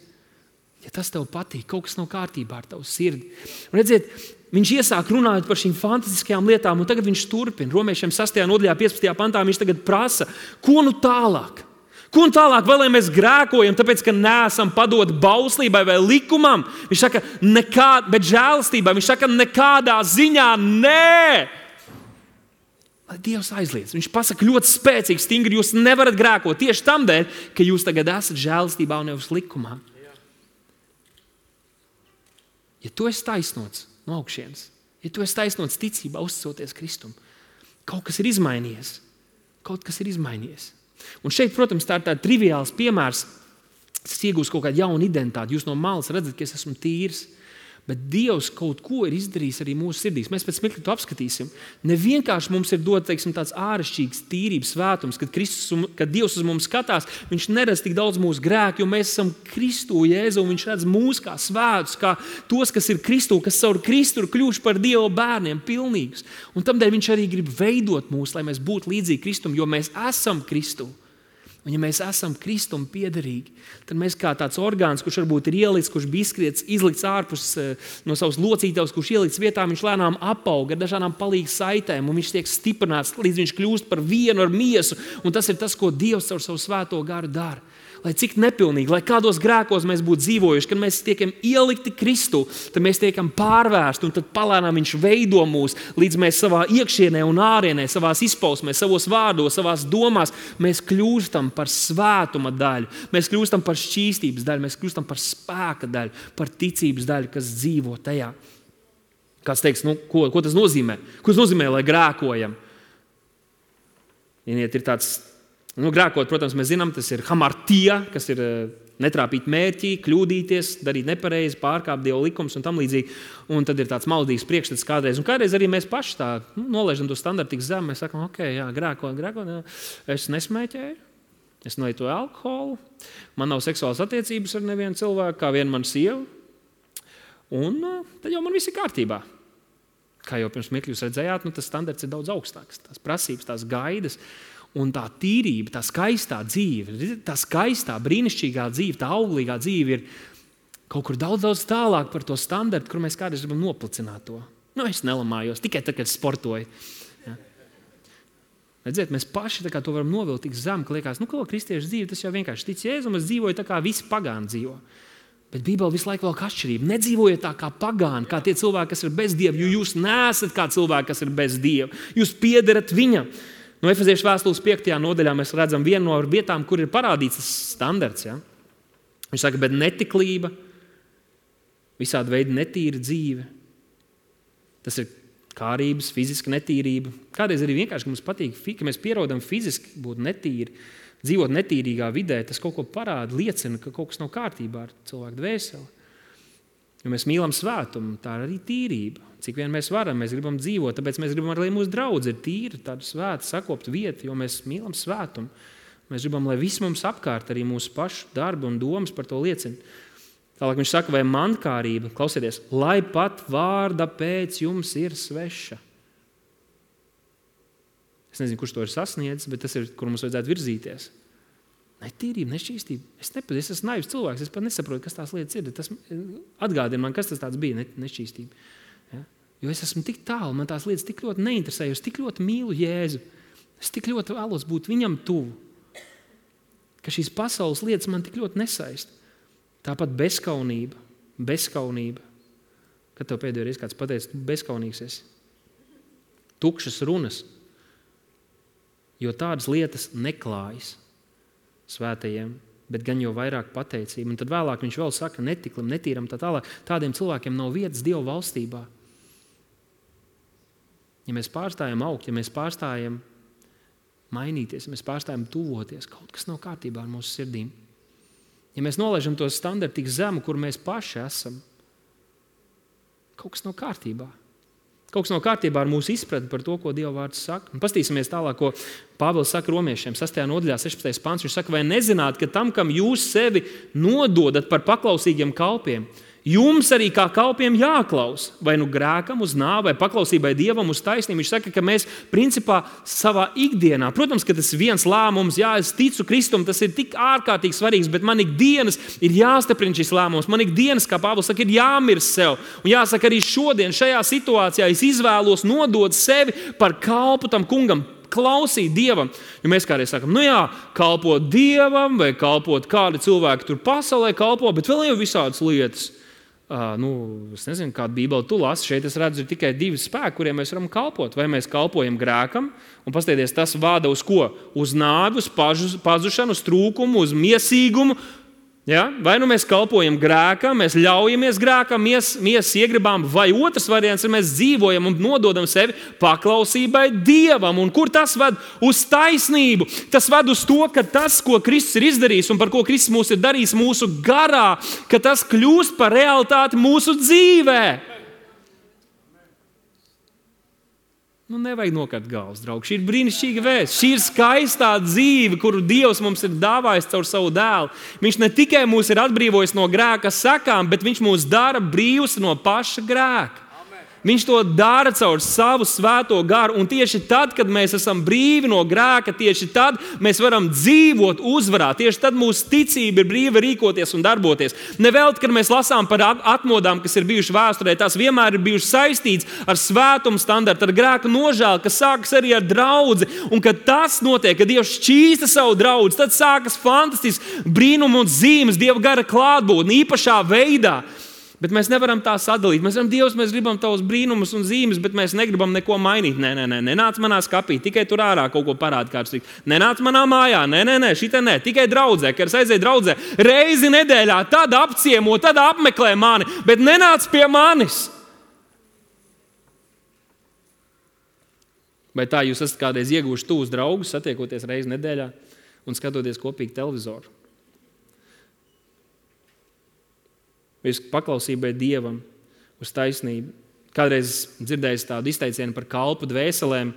Ja tas tev patīk, kaut kas nav kārtībā ar tavu sirdi. Un redziet, viņš iesāk runājot par šīm fantastiskajām lietām, un tagad viņš turpina. Romiešiem sastajā nodaļā, piecpadsmitajā pantā viņš tagad prasa, ko nu tālāk? Ko nu tālāk, vai lai mēs grēkojam, tāpēc, ka neesam padot bauslībai vai likumam? Viņš saka, nekā, bet žēlastībai. Viņš saka, nekādā ziņā nē. Lai Dievs aizliedz. Viņš pasaka ļoti spēcīgi, stingri, jūs nevarat grēkot tieši tam dēļ, ka jūs tagad esat žēlastībā un nevis likumā. Ja tu esi taisnots no augšienes, ja tu esi taisnots ticībā, uzticoties Kristum, kaut kas ir izmainījies. Kaut kas ir izmainījies. Un šeit, protams, tā ir tāds triviāls piemērs. Es iegūstu kaut kādu jaunu identitāti. Jūs no malas redzat, ka es esmu tīrs. Bet Dievs kaut ko ir izdarījis arī mūsu sirdīs. Mēs pēc mirkļa to apskatīsim. Ne vienkārši mums ir dot, teiksim, tāds āršķirīgs tīrības svētums, kad, Kristus, kad Dievs uz mums skatās, viņš neredz tik daudz mūsu grēku, jo mēs esam Kristu Jēzu, un viņš redz mūs kā svētus, kā tos, kas ir Kristu, kas caur Kristu ir kļuvuši par Dieva bērniem pilnīgus. Un tamdēļ viņš arī grib veidot mūs, lai mēs būtu līdzīgi Kristum, jo mēs esam Kristu. Un ja mēs esam Kristum piederīgi, tad mēs kā tāds orgāns, kurš varbūt ir ielikts, kurš bija izskriets, izlikts ārpus no savas locītavas, kurš ielikts vietā, viņš lēnām apauga ar dažādām palīgas saitēm, un viņš tiek stiprināts, līdz viņš kļūst par vienu ar miesu. Un tas ir tas, ko Dievs ar savu svēto garu dara. Lai cik nepilnīgi, lai kādos grēkos mēs būtu dzīvojuši, kad mēs tiekam ielikti Kristu, tad mēs tiekam pārvērsti, un tad palēnām viņš veido mūs, līdz mēs savā iekšienē un ārienē, savās izpausmēs, savos vārdos, savās domās, mēs kļūstam par svētuma daļu, mēs kļūstam par šķīstības daļu, mēs kļūstam par spēka daļu, par ticības daļu, kas dzīvo tajā. Kāds teiks, nu, ko, ko tas nozīmē? Ko tas nozīmē, lai grēkojam? Iniet, ir tāds Nu, grēkot, protams, mēs zinām, tas ir hamartija, kas ir netrāpīt mērķi, kļūdīties, darīt nepareizi, pārkāpt Dieva likums un tam līdzīgi. Un tad ir tāds maldīgs priekšstats kādreiz. Un kādreiz arī mēs paši tā nu, nolaižam to standartu tik zem. Mēs sakam, ok, jā, grēkot, grēkot, jā. Es nesmēķēju, es nelietoju alkoholu, man nav seksuālas attiecības ar nevienu cilvēku, kā vien man sieva. Un tad jau man viss ir kārtībā. Kā jau pirms mirkļa jūs redzējāt, nu, tas standarts ir daudz augstāks. Tās prasības, tās gaidas. Un tā tīrība, tā skaistā dzīve, tā skaistā, brīnišķīgā dzīve, tā auglīgā dzīve ir kaut kur daudz, daudz tālāk par to standartu, kur mēs kādreiz gribam noplicināt to. Nu, es nelamājos, tikai tad, kad sportoju. Ja. Redziet, mēs paši tā kā to varam novilkt tik zem, ka liekas, nu, ko kristiešu dzīve, tas jau vienkārši tic Jēzum, es dzīvoju tā kā visi pagāni dzīvo. Bet Bībele visu laiku vēl kā atšķirība. Nedzīvojiet tā kā pagāni, kā tie cilvēki, kas ir bez Dieva, jo jūs neesat kā cilvēki, kas ir bez Dieva. Jūs piederat viņam. No Efeziešu vēstules piektajā nodaļā mēs redzam vienu no vietām, kur ir parādīts tas standarts. Ja? Viņš saka, bet netiklība, visādi veidi netīra dzīve. Tas ir kārības, fiziska netīrība. Kādreiz arī vienkārši, ka mums patīk, ka mēs pierodam fiziski būt netīri, dzīvot netīrīgā vidē, tas kaut ko parāda, liecina, ka kaut kas nav kārtībā ar cilvēku dvēseli. Jo mēs mīlam svētumu, tā ir arī tīrība. Cik vien mēs varam, mēs gribam dzīvot, tāpēc mēs gribam, lai mūsu draudz ir tīra, tāda svēta, sakopta vieta, jo mēs mīlam svētumu. Mēs gribam, lai viss mums apkārt, arī mūsu pašu darbi un domas par to liecina. Tālāk viņš saka, vai mankārība, klausieties, lai pat vārda pēc jums ir sveša. Es nezinu, kurš to ir sasniedzis, bet tas ir, kur mums vajadzētu virzīties. Netīrība, nešķīstība. Es nepatiesi, es esmu naivs cilvēks, es pat nesaprotu, kas tās lietas ir. Tas atgādina man, kas tas tāds bija, ne, nešķīstība. Ja? Jo es esmu tik tālu, man tās lietas tik ļoti neinteresē, es tik ļoti mīlu Jēzu. Es tik ļoti vēlos būt viņam tuvu, ka šīs pasaules lietas man tik ļoti nesaist. Tāpat bezkaunība, bezkaunība. Kad tev pēdējo reizi kāds pateica, tu bezkaunīgs esi. Tukšas runas, jo tādas lietas neklājas svētajiem, bet gan jau vairāk pateicība. Un tad vēlāk viņš vēl saka, netiklam, netīram, tā tālāk. Tādiem cilvēkiem nav vietas Dieva valstībā. Ja mēs pārstājam augt, ja mēs pārstājam mainīties, ja mēs pārstājam tuvoties, kaut kas nav kārtībā ar mūsu sirdīm. Ja mēs nolaižam to standartu tik zemu, kur mēs paši esam, kaut kas nav kārtībā. Kaut kas nav kārtībā ar mūsu izpratni par to, ko Dieva vārds saka. Un pastīsimies tālāk, ko Pāvils saka romiešiem. sastajā nodaļā, sešpadsmitais pants. Viņš saka, vai nezināt, ka tam, kam jūs sevi nododat par paklausīgiem kalpiem, jums arī kā kalpiem jāklaus, vai nu grēkam uz nāvi, vai paklausībai Dievam uz taisnību. Viņš saka, ka mēs principā savā ikdienā, protams, ka tas ir viens lēmums, jā, es ticu Kristum, tas ir tik ārkārtīgi svarīgs, bet man ikdienas ir jāstiprina šis lēmums. Man ikdienas, kā Pāvils saka, ir jāmirst sev. Un jāsaka, arī šodien šajā situācijā es izvēlos nodot sevi par kalpu tam kungam, klausīt Dievam. Jo mēs kādreiz sakam, nu jā, kalpot Dievam, vai kalpot kādi cilvēki tur pasaulē kalpo, bet vēl jau visādas lietas. Uh, nu, es nezinu, kādu Bībeli tu lasi. Šeit es redzu tikai divi spēki, kuriem mēs varam kalpot. Vai mēs kalpojam grēkam, un paskatieties, tas vada uz ko? Uz nāvi, uz pazušanu, uz trūkumu, uz miesīgumu. Ja? Vai nu mēs kalpojam grēkam, mēs ļaujamies grēkam, mies, miesas iegribām, vai otrs variants ir mēs dzīvojam un nododam sevi paklausībai Dievam. Un kur tas ved? Uz taisnību. Tas ved uz to, ka tas, ko Kristus ir izdarījis un par ko Kristus mūs ir darījis mūsu garā, ka tas kļūst par realitāti mūsu dzīvē. Nu, nevajag nokart galvas, draugi. Šī ir brīnišķīga vēsts. Šī ir skaistā dzīve, kuru Dievs mums ir dāvājis caur savu dēlu. Viņš ne tikai mūs ir atbrīvojis no grēka sakām, bet viņš mūs dara brīvus no paša grēka. Viņš to dara caur savu svēto garu, un tieši tad, kad mēs esam brīvi no grēka, tieši tad mēs varam dzīvot uzvarā. Tieši tad mūsu ticība ir brīva rīkoties un darboties. Nevelti, kad mēs lasām par atmodām, kas ir bijušas vēsturē, tās vienmēr ir bijušas saistītas ar svētumu standartu, ar grēku nožēlu, kas sākas arī ar draudzi. Un kad tas notiek, kad Dievs šķīsta savu draudzi, tad sākas fantastisks brīnums un zīmes, Dieva gara klātbūtne īpašā veidā. Bet mēs nevaram tā sadalīt. Mēs varam, Dievs, mēs gribam tavus brīnumus un zīmes, bet mēs negribam neko mainīt. Nē, nē, nē, nenāc manā skapī, tikai tur ārā kaut ko parādi kāds. Nenāc manā mājā, nē, nē, nē, šitā nē, tikai draudzē, kad es aizēju draudzē reizi nedēļā, tad apciemo, tad apmeklē mani, bet nenāc pie manis. Vai tā jūs esat kādreiz ieguvuši tuvus draugus, satiekoties reizi nedēļā un skatoties kopīgi televizoru? Vai uz paklausībai Dievam, uz taisnību? Kādreiz dzirdējis tādu izteicienu par kalpu dvēselēm.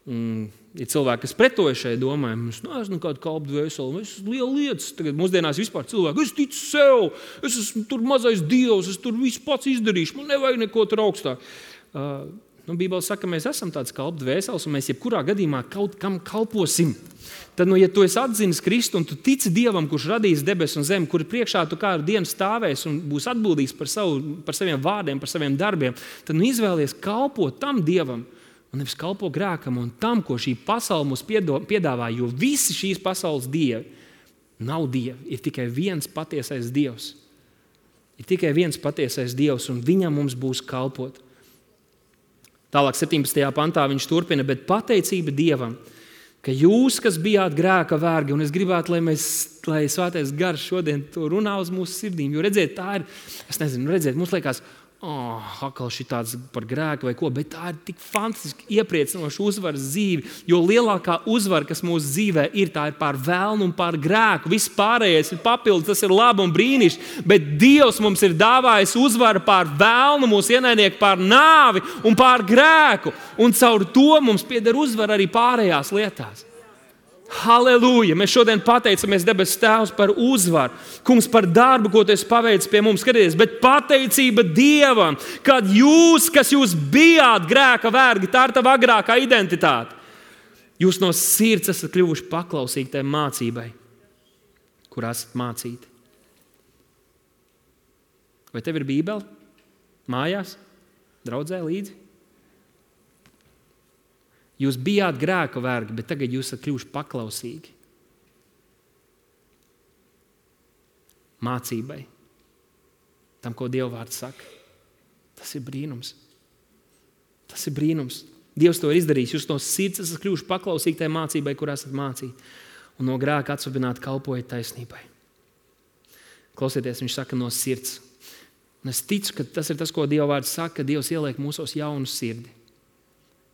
Ir cilvēki, kas pretoja šai domai. Es neesmu kādu kalpu dvēseli, es esmu liela lietas. Tagad mūsdienās vispār cilvēki, es ticu sev, es esmu tur mazais Dievs, es tur visu pats izdarīšu, man nevajag neko tur augstāk. Uh, nu, Bībele saka, ka mēs esam tāds kalpu dvēseles, un mēs jebkurā gadījumā kaut kam kalposim. Tad, nu, ja tu esi atzinis Kristu un tu tici Dievam, kurš radījis debesis un zemi, kuri priekšā tu kādu dienu stāvēs un būs atbildīgs par, savu, par saviem vārdiem, par saviem darbiem, tad nu, izvēlies kalpot tam Dievam un nevis kalpo grēkam un tam, ko šī pasaule mums piedāvā, jo visi šīs pasaules dievi nav dievi, ir tikai viens patiesais Dievs. Ir tikai viens patiesais Dievs, un viņam mums būs kalpot. Tālāk septiņpadsmitajā pantā viņš turpina, bet pateicība Dievam, ka jūs, kas bijāt grēka vergi, un es gribētu, lai, mēs, lai svētais gars šodien to runā uz mūsu sirdīm, jo redziet, tā ir, es nezinu, redziet, mums liekas, oh, atkal šī tāds par grēku vai ko, bet tā ir tik fantastiski iepriecinoša uzvaras dzīve, jo lielākā uzvara, kas mūsu dzīvē ir, tā ir pār velnu un pār grēku. Viss pārējais ir papildus, tas ir labi un brīnišķi, bet Dievs mums ir dāvājis uzvaru pār velnu, mūsu ienaidnieku pār nāvi un pār grēku, un caur to mums pieder uzvara arī pārējās lietās. Halleluja! Mēs šodien pateicamies debes Tēvs par uzvaru. Kungs, par darbu, ko tu esi paveicis pie mums. Skaties, bet pateicība Dievam, kad jūs, kas jūs bijāt grēka vergi, tā ir tava agrākā identitāte. Jūs no sirds esat kļuvuši paklausīgi tai mācībai, kur esat mācīti. Vai tev ir Bībele? Mājās? Draudzē līdzi? Jūs bijāt grēka vergi, bet tagad jūs esat kļuvuši paklausīgi mācībai, tam, ko Dieva vārds saka. Tas ir brīnums. Tas ir brīnums. Dievs to ir izdarījis. Jūs no sirds esat kļuvuši paklausīgi tai mācībai, kur esat mācīti, un no grēka atsvabināti kalpojat taisnībai. Klausieties, viņš saka no sirds. Un es ticu, ka tas ir tas, ko Dieva vārds saka, ka Dievs ieliek mūsos jaunu sirdi.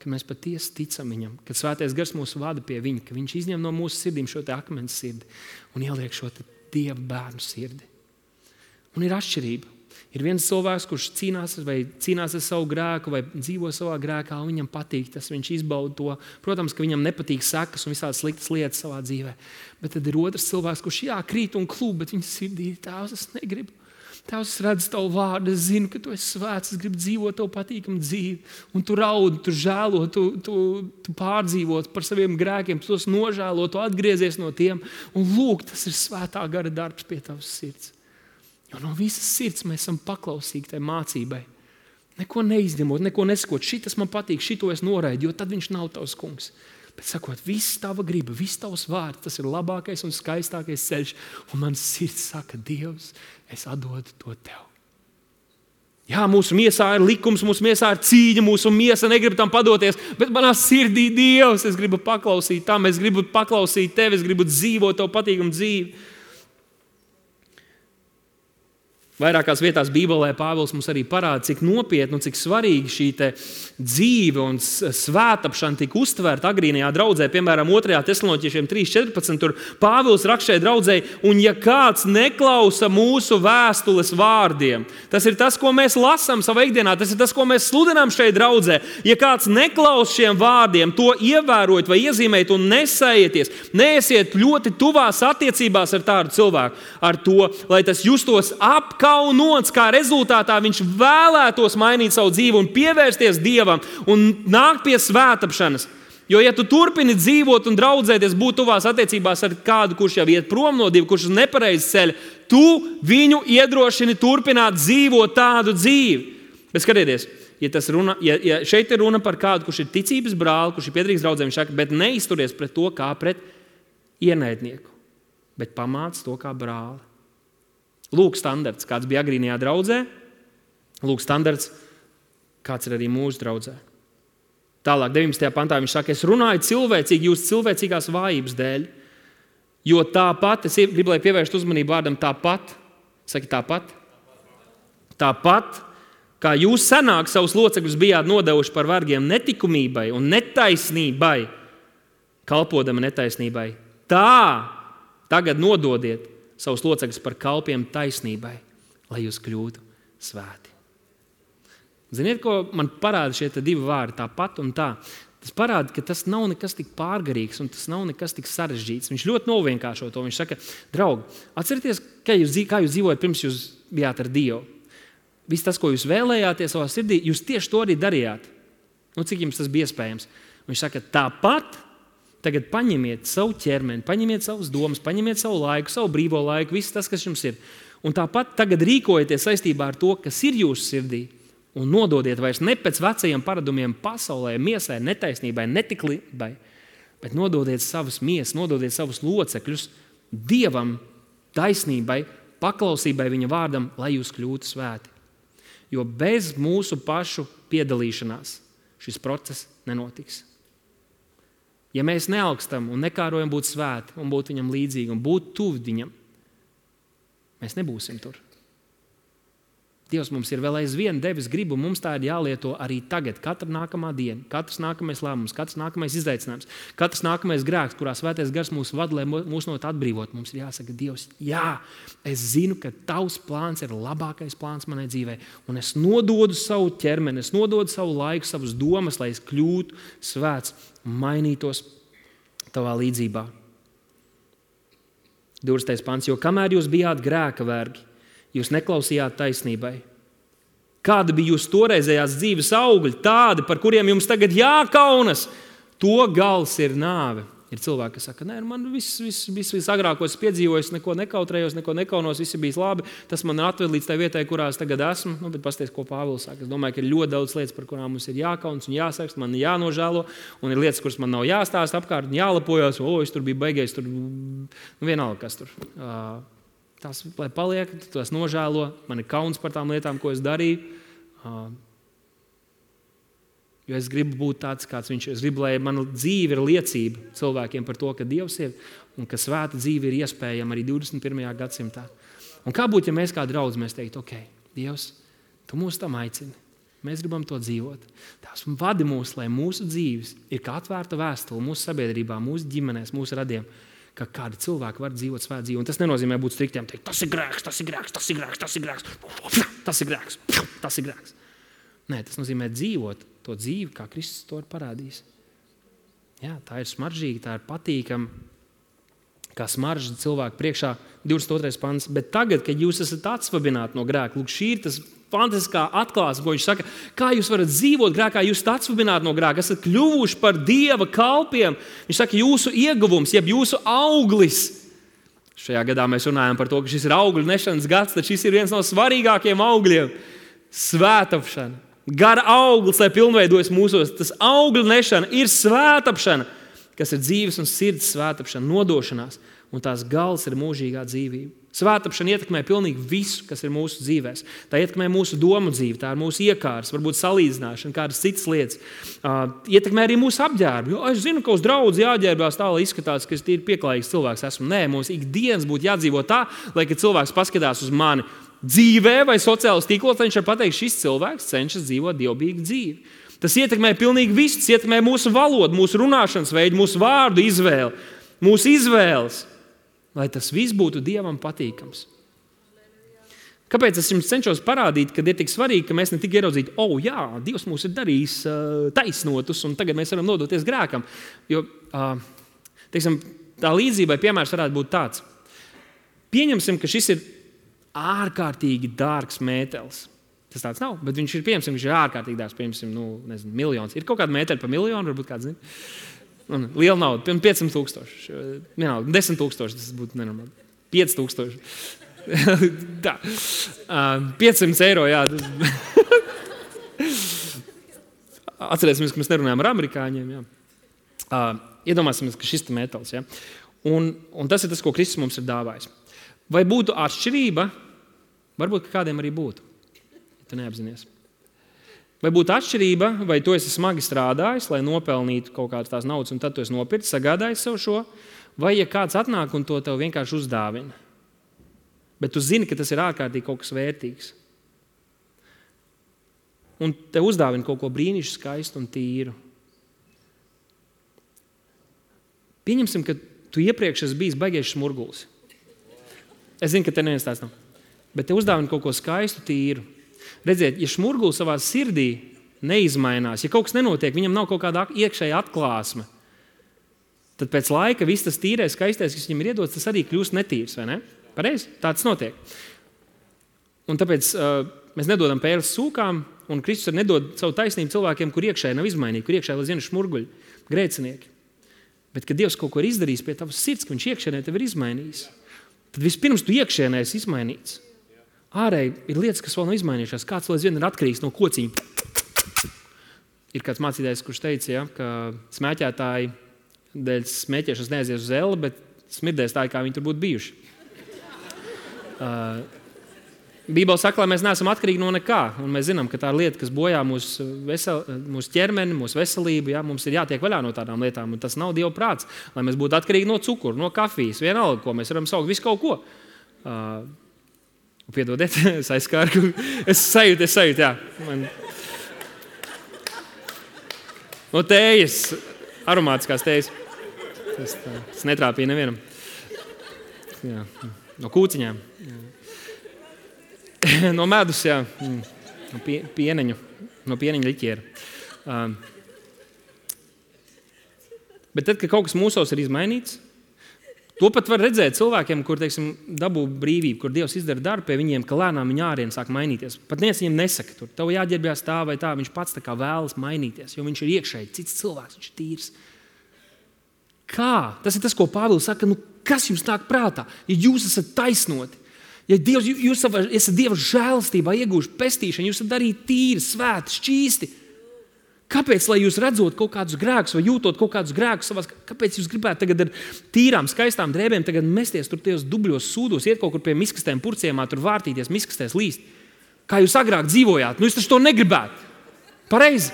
Ka mēs patiesi ticam viņam, kad svētais gars mūs vada pie viņa, ka viņš izņem no mūsu sirdīm šo te akmens sirdi un ieliek šo te Dieva bērnu sirdi. Un ir atšķirība. Ir viens cilvēks, kurš cīnās vai cīnās ar savu grēku vai dzīvo savā grēkā, un viņam patīk tas, viņš izbauda to. Protams, ka viņam nepatīk sekas un visādas sliktas lietas savā dzīvē. Bet tad ir otrs cilvēks, kurš jā, krīt un klūp, bet viņa sirdī ir tēvs, es negribu. Tēvs, es redzu tavu vārdu, es zinu, ka tu esi svēts, es gribu dzīvot tavu patīkamu dzīvi. Un tu raudi, tu žēlo, tu, tu, tu pārdzīvot par saviem grēkiem, tu tos nožēlo, tu atgriezies no tiem. Un lūk, tas ir svētā gara darbs pie tavas sirds. Jo no visas sirds mēs esam paklausīgi tai mācībai. Neko neizņemot, neko nesakot, šitas man patīk, šito es noraidu, jo tad viņš nav tavs kungs. Bet sakot, viss tava griba, viss tavs vārds, tas ir labākais un skaistākais ceļš. Un mans sirds saka, Dievs, es atdodu to tev. Jā, mūsu miesā ir likums, mūsu miesā ir cīņa, mūsu miesa negrib tam padoties, bet manā sirdī, Dievs, es gribu paklausīt tam, es gribu paklausīt tevi, es gribu dzīvot tavu patīkamu dzīvi. Vairākās vietās Bībelē Pāvils mums arī parāda, cik nopietni un cik svarīgi šī te dzīve un svētapšana tika uztvērta agrīnajā draudzē. Piemēram, otrajā Tesaloniķiešiem trīs četrpadsmit tur Pāvils raksta šai draudzei, un ja kāds neklausa mūsu vēstules vārdiem, tas ir tas, ko mēs lasām savā ikdienā, tas ir tas, ko mēs sludinām šai draudzē. Ja kāds neklausa šiem vārdiem, to ievērojot vai iezīmēt un nesējieties, neesiet ļoti tuvās attiecībās ar tādu cilvēku, ar to, lai tas justos apkārt, kaunots, kā rezultātā viņš vēlētos mainīt savu dzīvi un pievērsties Dievam un nākt pie svētapšanas. Jo, ja tu turpini dzīvot un draudzēties, būt tuvās attiecībās ar kādu, kurš jau iet prom no Dieva, kurš uz nepareizi ceļa, tu viņu iedrošini turpināt dzīvot tādu dzīvi. Bet skatieties, ja, tas runa, ja, ja šeit ir runa par kādu, kurš ir ticības brāli, kurš ir piederīgs draudzē, viņš saka, bet neizturies pret to kā pret ienaidnieku, bet pamāc to kā brāli. Lūk standarts, kāds bija agrīnajā draudzē, lūk standarts, kāds ir arī mūsu draudzē. Tālāk, deviņpadsmitajā pantā viņš saka, es runāju cilvēcīgi jūsu cilvēcīgās vājības dēļ, jo tāpat, es gribu, lai pievērst uzmanību vārdam tāpat, saki tāpat, tāpat, kā jūs senāk savus locekļus bijāt nodevuši par vergiem netikumībai un netaisnībai, kalpodami netaisnībai, tā tagad nododiet savus locekļus par kalpiem taisnībai, lai jūs kļūtu svēti. Ziniet, ko man parāda šie divi vārdi, tāpat un tā? Tas parāda, ka tas nav nekas tik pārgarīgs un tas nav nekas tik sarežģīts. Viņš ļoti novienkāršo to. Viņš saka, draugi, atcerieties, kā jūs, kā jūs dzīvojat pirms jūs bijāt ar Dievu. Viss tas, ko jūs vēlējāties savā sirdī, jūs tieši to arī darījāt. Nu, cik jums tas bija iespējams? Viņš saka, tāpat tagad paņemiet savu ķermeni, paņemiet savas domas, paņemiet savu laiku, savu brīvo laiku, viss tas, kas jums ir. Un tāpat tagad rīkojieties saistībā ar to, kas ir jūsu sirdī, un nododiet vairs ne pēc vecajiem paradumiem pasaulē, miesai, netaisnībai, netiklībai, bet nododiet savas miesas, nododiet savus locekļus Dievam, taisnībai, paklausībai viņa vārdam, lai jūs kļūtu svēti. Jo bez mūsu pašu piedalīšanās šis process nenotiks. Ja mēs neaugstam un nekārojam būt svēti un būt viņam līdzīgi un būt tuvi viņam, mēs nebūsim tur. Dievs mums ir vēl aizvien devis gribu, mums tā ir jālieto arī tagad, katra nākamā diena, katrs nākamais lēmums, katrs nākamais izaicinājums, katrs nākamais grēks, kurā svētais gars mūs vada, lai mūs no tā atbrīvot. Mums ir jāsaka, Dievs, jā, es zinu, ka tavs plāns ir labākais plāns manai dzīvē, un es nododu savu ķermeni, es nododu savu laiku, savas domas, lai es kļūtu svēts un mainītos tavā līdzībā. divdesmitais pants, jo kamēr jūs bijāt grēka vergi, jūs neklausījāt taisnībai. Kāda bija jūsu toreizējās dzīves augļi, tādi, par kuriem jums tagad jākaunas, to gals ir nāve. Ir cilvēki, kas saka, nē, man viss, viss, viss, viss agrākos piedzīvojis, neko nekautrējos, neko nekaunos, viss ir bijis labi, tas man atved līdz tai vietai, kurā es tagad esmu. Nu, bet pasties, ko Pāvils saka. Es domāju, ka ir ļoti daudz lietas, par kurām mums ir jākaunas un jāsakst, man jānožēlo, un ir lietas, kuras man nav jāstāst apkārt un jālapojās, o, es tur biju beigais, tur, nu, vienalga, kas tur. Uh, Tas, lai paliek, tas nožēlo. Man ir kauns par tām lietām, ko es darīju. Uh, jo es gribu būt tāds, kāds viņš ir. Es gribu, lai mana dzīve ir liecība cilvēkiem par to, ka Dievs ir un ka svēta dzīve ir iespējama arī divdesmit pirmajā gadsimtā. Un kā būtu, ja mēs kā draudz, mēs teiktu, ok, Dievs, tu mūs tam aicini. Mēs gribam to dzīvot. Tās vadi mūs, lai mūsu dzīves ir kā atvērta vēstule mūsu sabiedrībā, mūsu ģimenēs, mūsu radiem, ka kādi cilvēki var dzīvot svētu dzīvi. Un tas nenozīmē būt striktiem, teikt, tas ir grēks, tas ir grēks, tas ir grēks, tas ir grēks, tas ir grēks, tas ir grēks. Nē, tas nozīmē dzīvot to dzīvi, kā Kristus to ir parādījis. Jā, tā ir smaržīga, tā ir patīkama, kā smarža cilvēku priekšā, divdesmit otrais pants. Bet tagad, kad jūs esat atsvabināti no grēka, lūk, šī ir tas fantastiskā atklāsme, ko viņš saka, kā jūs varat dzīvot grēkā, jūs esat atsvabināti no grēka, esat kļuvuši par Dieva kalpiem. Viņš saka, jūsu ieguvums, jeb jūsu auglis. Šajā gadā mēs runājam par to, ka šis ir augļu nešanas gads, tad šis ir viens no svarīgākajiem augļiem. Svētapšana. Gara auglis, lai pilnveidojas mūsos. Tas augļu nešana ir svētapšana, kas ir dzīves un sirds svētapšana, nodošanās. Un tās gals ir mūžīgā dzīvība. Svētapšana ietekmē pilnīgi visu, kas ir mūsu dzīvēs. Tā ietekmē mūsu domu dzīvi, tā ir mūsu iekārs, varbūt salīdzināšana, kādas citas lietas. Uh, ietekmē arī mūsu apģērbu. Jo es zinu, ka uz draudzi jāģērbās tā, lai izskatās, ka es tīri pieklājīgs cilvēks esmu. Nē, mums ikdienas būtu jādzīvo tā, lai, kad cilvēks paskatās uz mani dzīvē vai sociālos tīklos, viņš var pateikt, šis cilvēks cenšas dzīvot dievbijīgu dzīvi. Tas ietekmē pilnīgi visu, tas ietekmē mūsu valodu, mūsu runāšanas veidu, mūsu vārdu izvēli, mūsu izvēles. Lai tas viss būtu Dievam patīkams. Kāpēc es jums cenšos parādīt, ka ir tik svarīgi, ka mēs ne tik ieraudzītu, o, oh, jā, Dievs mūs ir darījis uh, taisnotus, un tagad mēs varam nodoties grēkam. Jo, uh, teiksim, tā līdzībai piemērs varētu būt tāds. Pieņemsim, ka šis ir ārkārtīgi dārgs mētelis. Tas tāds nav, bet viņš ir, pieņemsim, viņš ir ārkārtīgi dārgs, pieņemsim, nu, nezinu, miljons. Ir kaut kāda mēteli par miljonu, varbūt kāds zina. Un liela nauda, piemēram, piecsimt tūkstoši. Vienalga, desmit tūkstoši, tas būtu nenormāli. pieci tūkstoši. Tā. Uh, piecsimt eiro, jā. Atcerēsimies, ka mēs nerunājam ar amerikāņiem, jā. Uh, iedomāsimies, ka šis ir mētelis, jā. Un, un tas ir tas, ko Kristus mums ir dāvājis. Vai būtu atšķirība? Varbūt, ka kādiem arī būtu. Ja tu neapzinies. Vai būtu atšķirība, vai tu esi smagi strādājis, lai nopelnītu kaut kādas tās naudas, un tad tu esi nopircis, sagādājis sev šo, vai ja kāds atnāk un to tev vienkārši uzdāvina. Bet tu zini, ka tas ir ārkārtīgi kaut kas vērtīgs. Un tev uzdāvina kaut ko brīnišķīgu, skaistu un tīru. Pieņemsim, ka tu iepriekš esi bijis baigies smurgulis. Es zinu, ka te neviens tāds nav. Bet te uzdāvina kaut ko skaistu, tīru. Redziet, ja šmurgulis savā sirdī neizmainās, ja kaut kas nenotiek, viņam nav kaut kāda iekšēja atklāsme, tad pēc laika viss tas tīrais, skaistais, kas viņam ir iedots, tas arī kļūst netīrs, vai ne? Pareizi? Tāds notiek. Un tāpēc uh, mēs nedodam pēles sūkām, un Kristus arī nedod savu taisnību cilvēkiem, kur iekšēji nav izmainīgi, kur iekšēji vēl zina šmurguļi, grēcinieki. Bet, kad Dievs kaut ko ir izdarījis pie tavas sirds, ka viņš iekšēnē tev ir izmainījis, tad vispirms tu iekšēnē esi izmainīts. Ārēji ir lietas, kas vēl nav izmainījušās. Kāds vēl aizvien ir atkarīgs no kociņa. Ir kāds mācītājs, kurš teica, ja, ka smēķētāji dēļ smēķēšanas neaizies uz elli, bet smirdēs tā, kā viņi tur būtu bijuši. Uh, Bībele saka, lai mēs neesam atkarīgi no nekā. Un mēs zinām, ka tā ir lieta, kas bojā mūsu, vesel, mūsu ķermeni, mūsu veselību. Ja, mums ir jātiek vaļā no tādām lietām. Un tas nav Dieva prāts, lai mēs būtu atkarīgi no cukura, no kafijas, vienalga, ko mēs varam saukt, visu kaut ko. Uh, Piedodiet, es aizskāru. Es sajūtu, es sajūtu, jā. Man... No tējas, aromātiskās tējas. Tas, tā, tas netrāpīja nevienam. Jā. No kūciņām. Jā. No medus, jā. No pie, pieneņu. No pieneņa liķiera. Um, bet tad, kad kaut kas mūsos ir izmainīts, to pat var redzēt cilvēkiem, kur, teiksim, dabū brīvību, kur Dievs izdara darbu pie viņiem, ka lēnām viņa ārien sāk mainīties. Pat neviens viņiem nesaka, tur tev jāģērbjās tā vai tā, viņš pats tā kā vēlas mainīties, jo viņš ir iekšēji, cits cilvēks, viņš ir tīrs. Kā? Tas ir tas, ko Pāvils saka, nu kas jums nāk prātā? Ja jūs esat taisnoti, ja Dievs, jūs esat Dieva žēlastībā iegūši pestīšanu, jūs esat arī tīri, svēti, šķīsti. Kāpēc, lai jūs redzot kaut kādus grēkus vai jūtot kaut kādus grēkus savās, kāpēc jūs gribētu tagad ar tīrām, skaistām drēbēm tagad mesties tur tajos dubļos sūdos, iet kaut kur pie miskastēm purciemā, tur vārtīties, miskastēs līst? Kā jūs agrāk dzīvojāt? Nu, jūs taču to negribētu. Pareizi.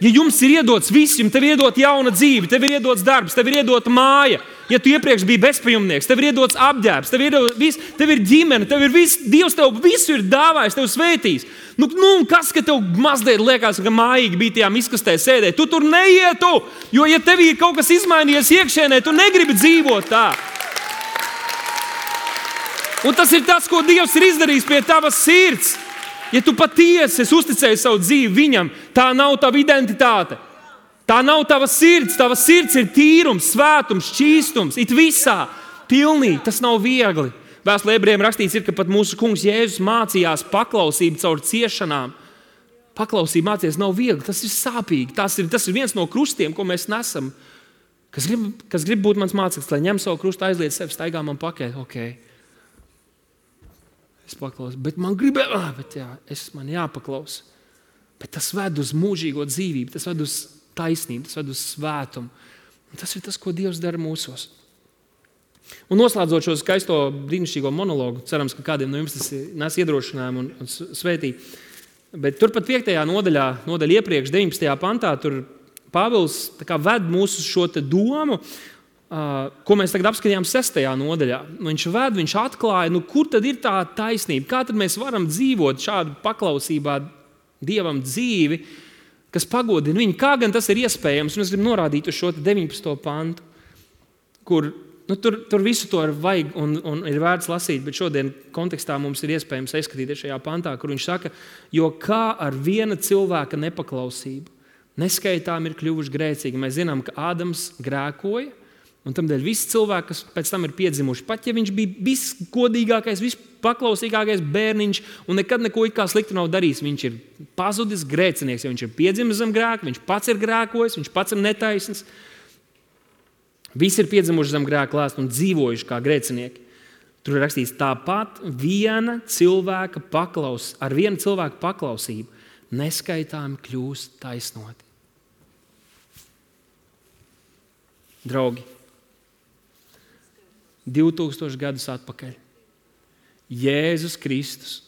Ja jums ir iedots viss, jums tev ir iedot jauna dzīve, tev ir iedots darbs, tev ir iedota māja, Ja tu iepriekš biji bezpajumnieks, tev ir iedots apģērbs, tev ir, vis, tev ir ģimene, tev ir viss, Dievs tev visu ir dāvājis, tev svētīs. Nu, nu kas, ka tev mazliet liekas, ka mājīgi bija tajā miskastē sēdēt? Tu tur neietu, jo ja tev ir kaut kas izmainījies iekšienē, tu negribi dzīvot tā. Un tas ir tas, ko Dievs ir izdarījis pie tavas sirds. Ja tu patiesi esi uzticējis savu dzīvi viņam, tā nav tava identitāte. Tā nav tava sirds, tava sirds ir tīrums, svētums, šķīstums, it visā, pilnīgi, tas nav viegli. Vēstulē Ebrejiem rakstīts ir, ka pat mūsu kungs Jēzus mācījās paklausību caur ciešanām. Paklausība mācīties nav viegli, tas ir sāpīgi, tas ir, tas ir viens no krustiem, ko mēs nesam. Kas grib, kas grib būt mans māceklis, lai ņem savu krustu, aizliet sevi, staigā man pakaļ, ok. Es paklausu, bet man gribē, ah, bet jā, es man jāpaklausa. Bet tas ved uz mūžīgo dzīvību, tas ved uz taisnību, tas ved uz svētumu. Un tas ir tas, ko Dievs dara mūsos. Un noslēdzot šo skaisto brīnišķīgo monologu, cerams, ka kādiem no jums tas nes iedrošinājumu un, un svētī. Bet turpat piektajā nodaļā, nodaļa iepriekš, deviņpadsmitajā pantā, tur Pāvils tā kā ved mūsu šo te domu, uh, ko mēs tagad apskatījām sestajā nodaļā. Viņš ved, viņš atklāja, nu kur tad ir tā taisnība? Kā tad mēs varam dzīvot šādu paklausībā Dievam dzīvi, kas pagodina viņu. Kā gan tas ir iespējams? Un es gribu norādīt uz šo deviņpadsmito pantu, kur nu, tur, tur visu to vajag un, un ir vērts lasīt, bet šodien kontekstā mums ir iespējams ieskatīties šajā pantā, kur viņš saka, jo kā ar viena cilvēka nepaklausību neskaitām ir kļuvuši grēcīgi. Mēs zinām, ka Ādams grēkoja, un tamdēļ visi cilvēki, kas pēc tam ir piedzimuši, pat ja viņš bija visgodīgākais, vispaklausīgākais bērniņš un nekad neko it kā sliktu nav darījis, viņš ir pazudis grēcinieks, jo viņš ir piedzimis zem grēka, viņš pats ir grēkojis, viņš pats ir netaisns. Visi ir piedzimuši zem grēka lēsta un dzīvojuši kā grēcinieki. Tur ir rakstīts, tāpat viena cilvēka paklaus, ar vienu cilvēku paklausību neskaitāmi kļūst taisnoti. Draugi, divtūkstoši gadus atpakaļ Jēzus Kristus,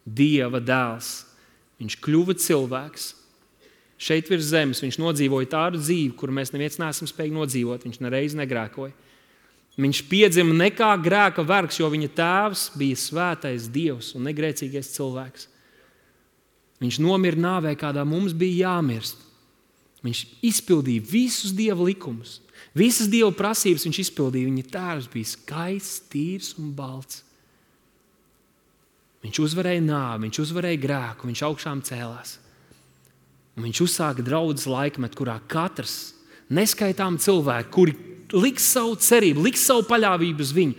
Dieva dēls, viņš kļuva cilvēks. Šeit virs zemes viņš nodzīvoja tādu dzīvi, kuru mēs neviens neesam spējīgi nodzīvot. Viņš nereiz negrēkoja. Viņš piedzima ne kā grēka vergs, jo viņa tēvs bija svētais Dievs un negrēcīgais cilvēks. Viņš nomira nāvē, kādā mums bija jāmirst. Viņš izpildīja visus Dieva likumus. Visas Dieva prasības viņš izpildīja. Viņa tēvs bija skaists, tīrs un balts. Viņš uzvarēja nāvi, viņš uzvarēja grēku, viņš augšām cēlās. Un viņš uzsāka draudzes laikmetu, kurā katrs neskaitām cilvēki, kuri liks savu cerību, liks savu paļāvību uz viņu,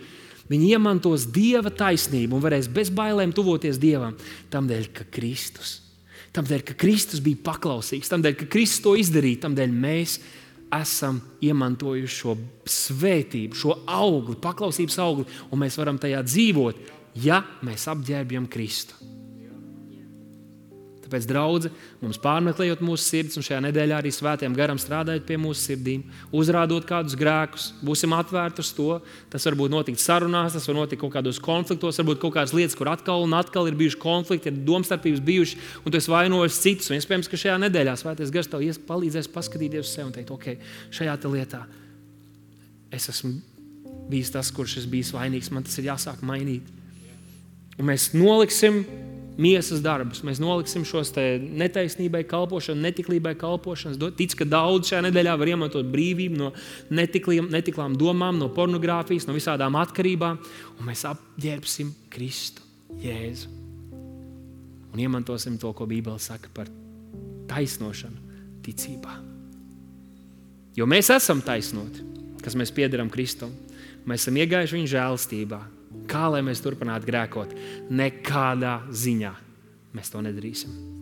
viņi iemantos Dieva taisnību un varēs bez bailēm tuvoties Dievam. Tamdēļ, ka Kristus, tamdēļ, ka Kristus bija paklausīgs, tamdēļ, ka Kristus to izdarīja, tamdēļ mēs esam iemantojuši šo svētību, šo augli, paklausības augli, un mēs varam tajā dzīvot, ja mēs apģērbjam Kristu. Tāpēc, draudze, mums pārmeklējot mūsu sirds un šajā nedēļā arī svētajam garam strādājot pie mūsu sirdīm, uzrādot kādus grēkus, būsim atvērti uz to. Tas var būt notikt sarunās, tas var notikt kaut kādos konfliktos, varbūt kaut kādas lietas, kur atkal un atkal ir bijuši konflikti, ir domstarpības bijuši, un tu esi vainojis citus. Un iespējams, ka šajā nedēļā svētais gars tev palīdzēs paskatīties uz sevi un teikt, ok, šajā te lietā es esmu bijis tas, kurš es bijis vainīgs, man tas ir jāsāk mainīt. Un mēs noliksim miesas darbus. Mēs noliksim šos te netaisnībai kalpošanu, netiklībai kalpošanas. Tic, ka daudz šajā nedēļā var iemantot brīvību no netiklām, netiklām domām, no pornogrāfijas, no visādām atkarībām. Un mēs apģērbsim Kristu, Jēzu. Un iemantosim to, ko Bībele saka par taisnošanu ticībā. Jo mēs esam taisnoti, kas mēs piederam Kristum. Mēs esam iegājuši viņa žēlstībā. Kā lai mēs turpinātu grēkot? Nekādā ziņā mēs to nedarīsim.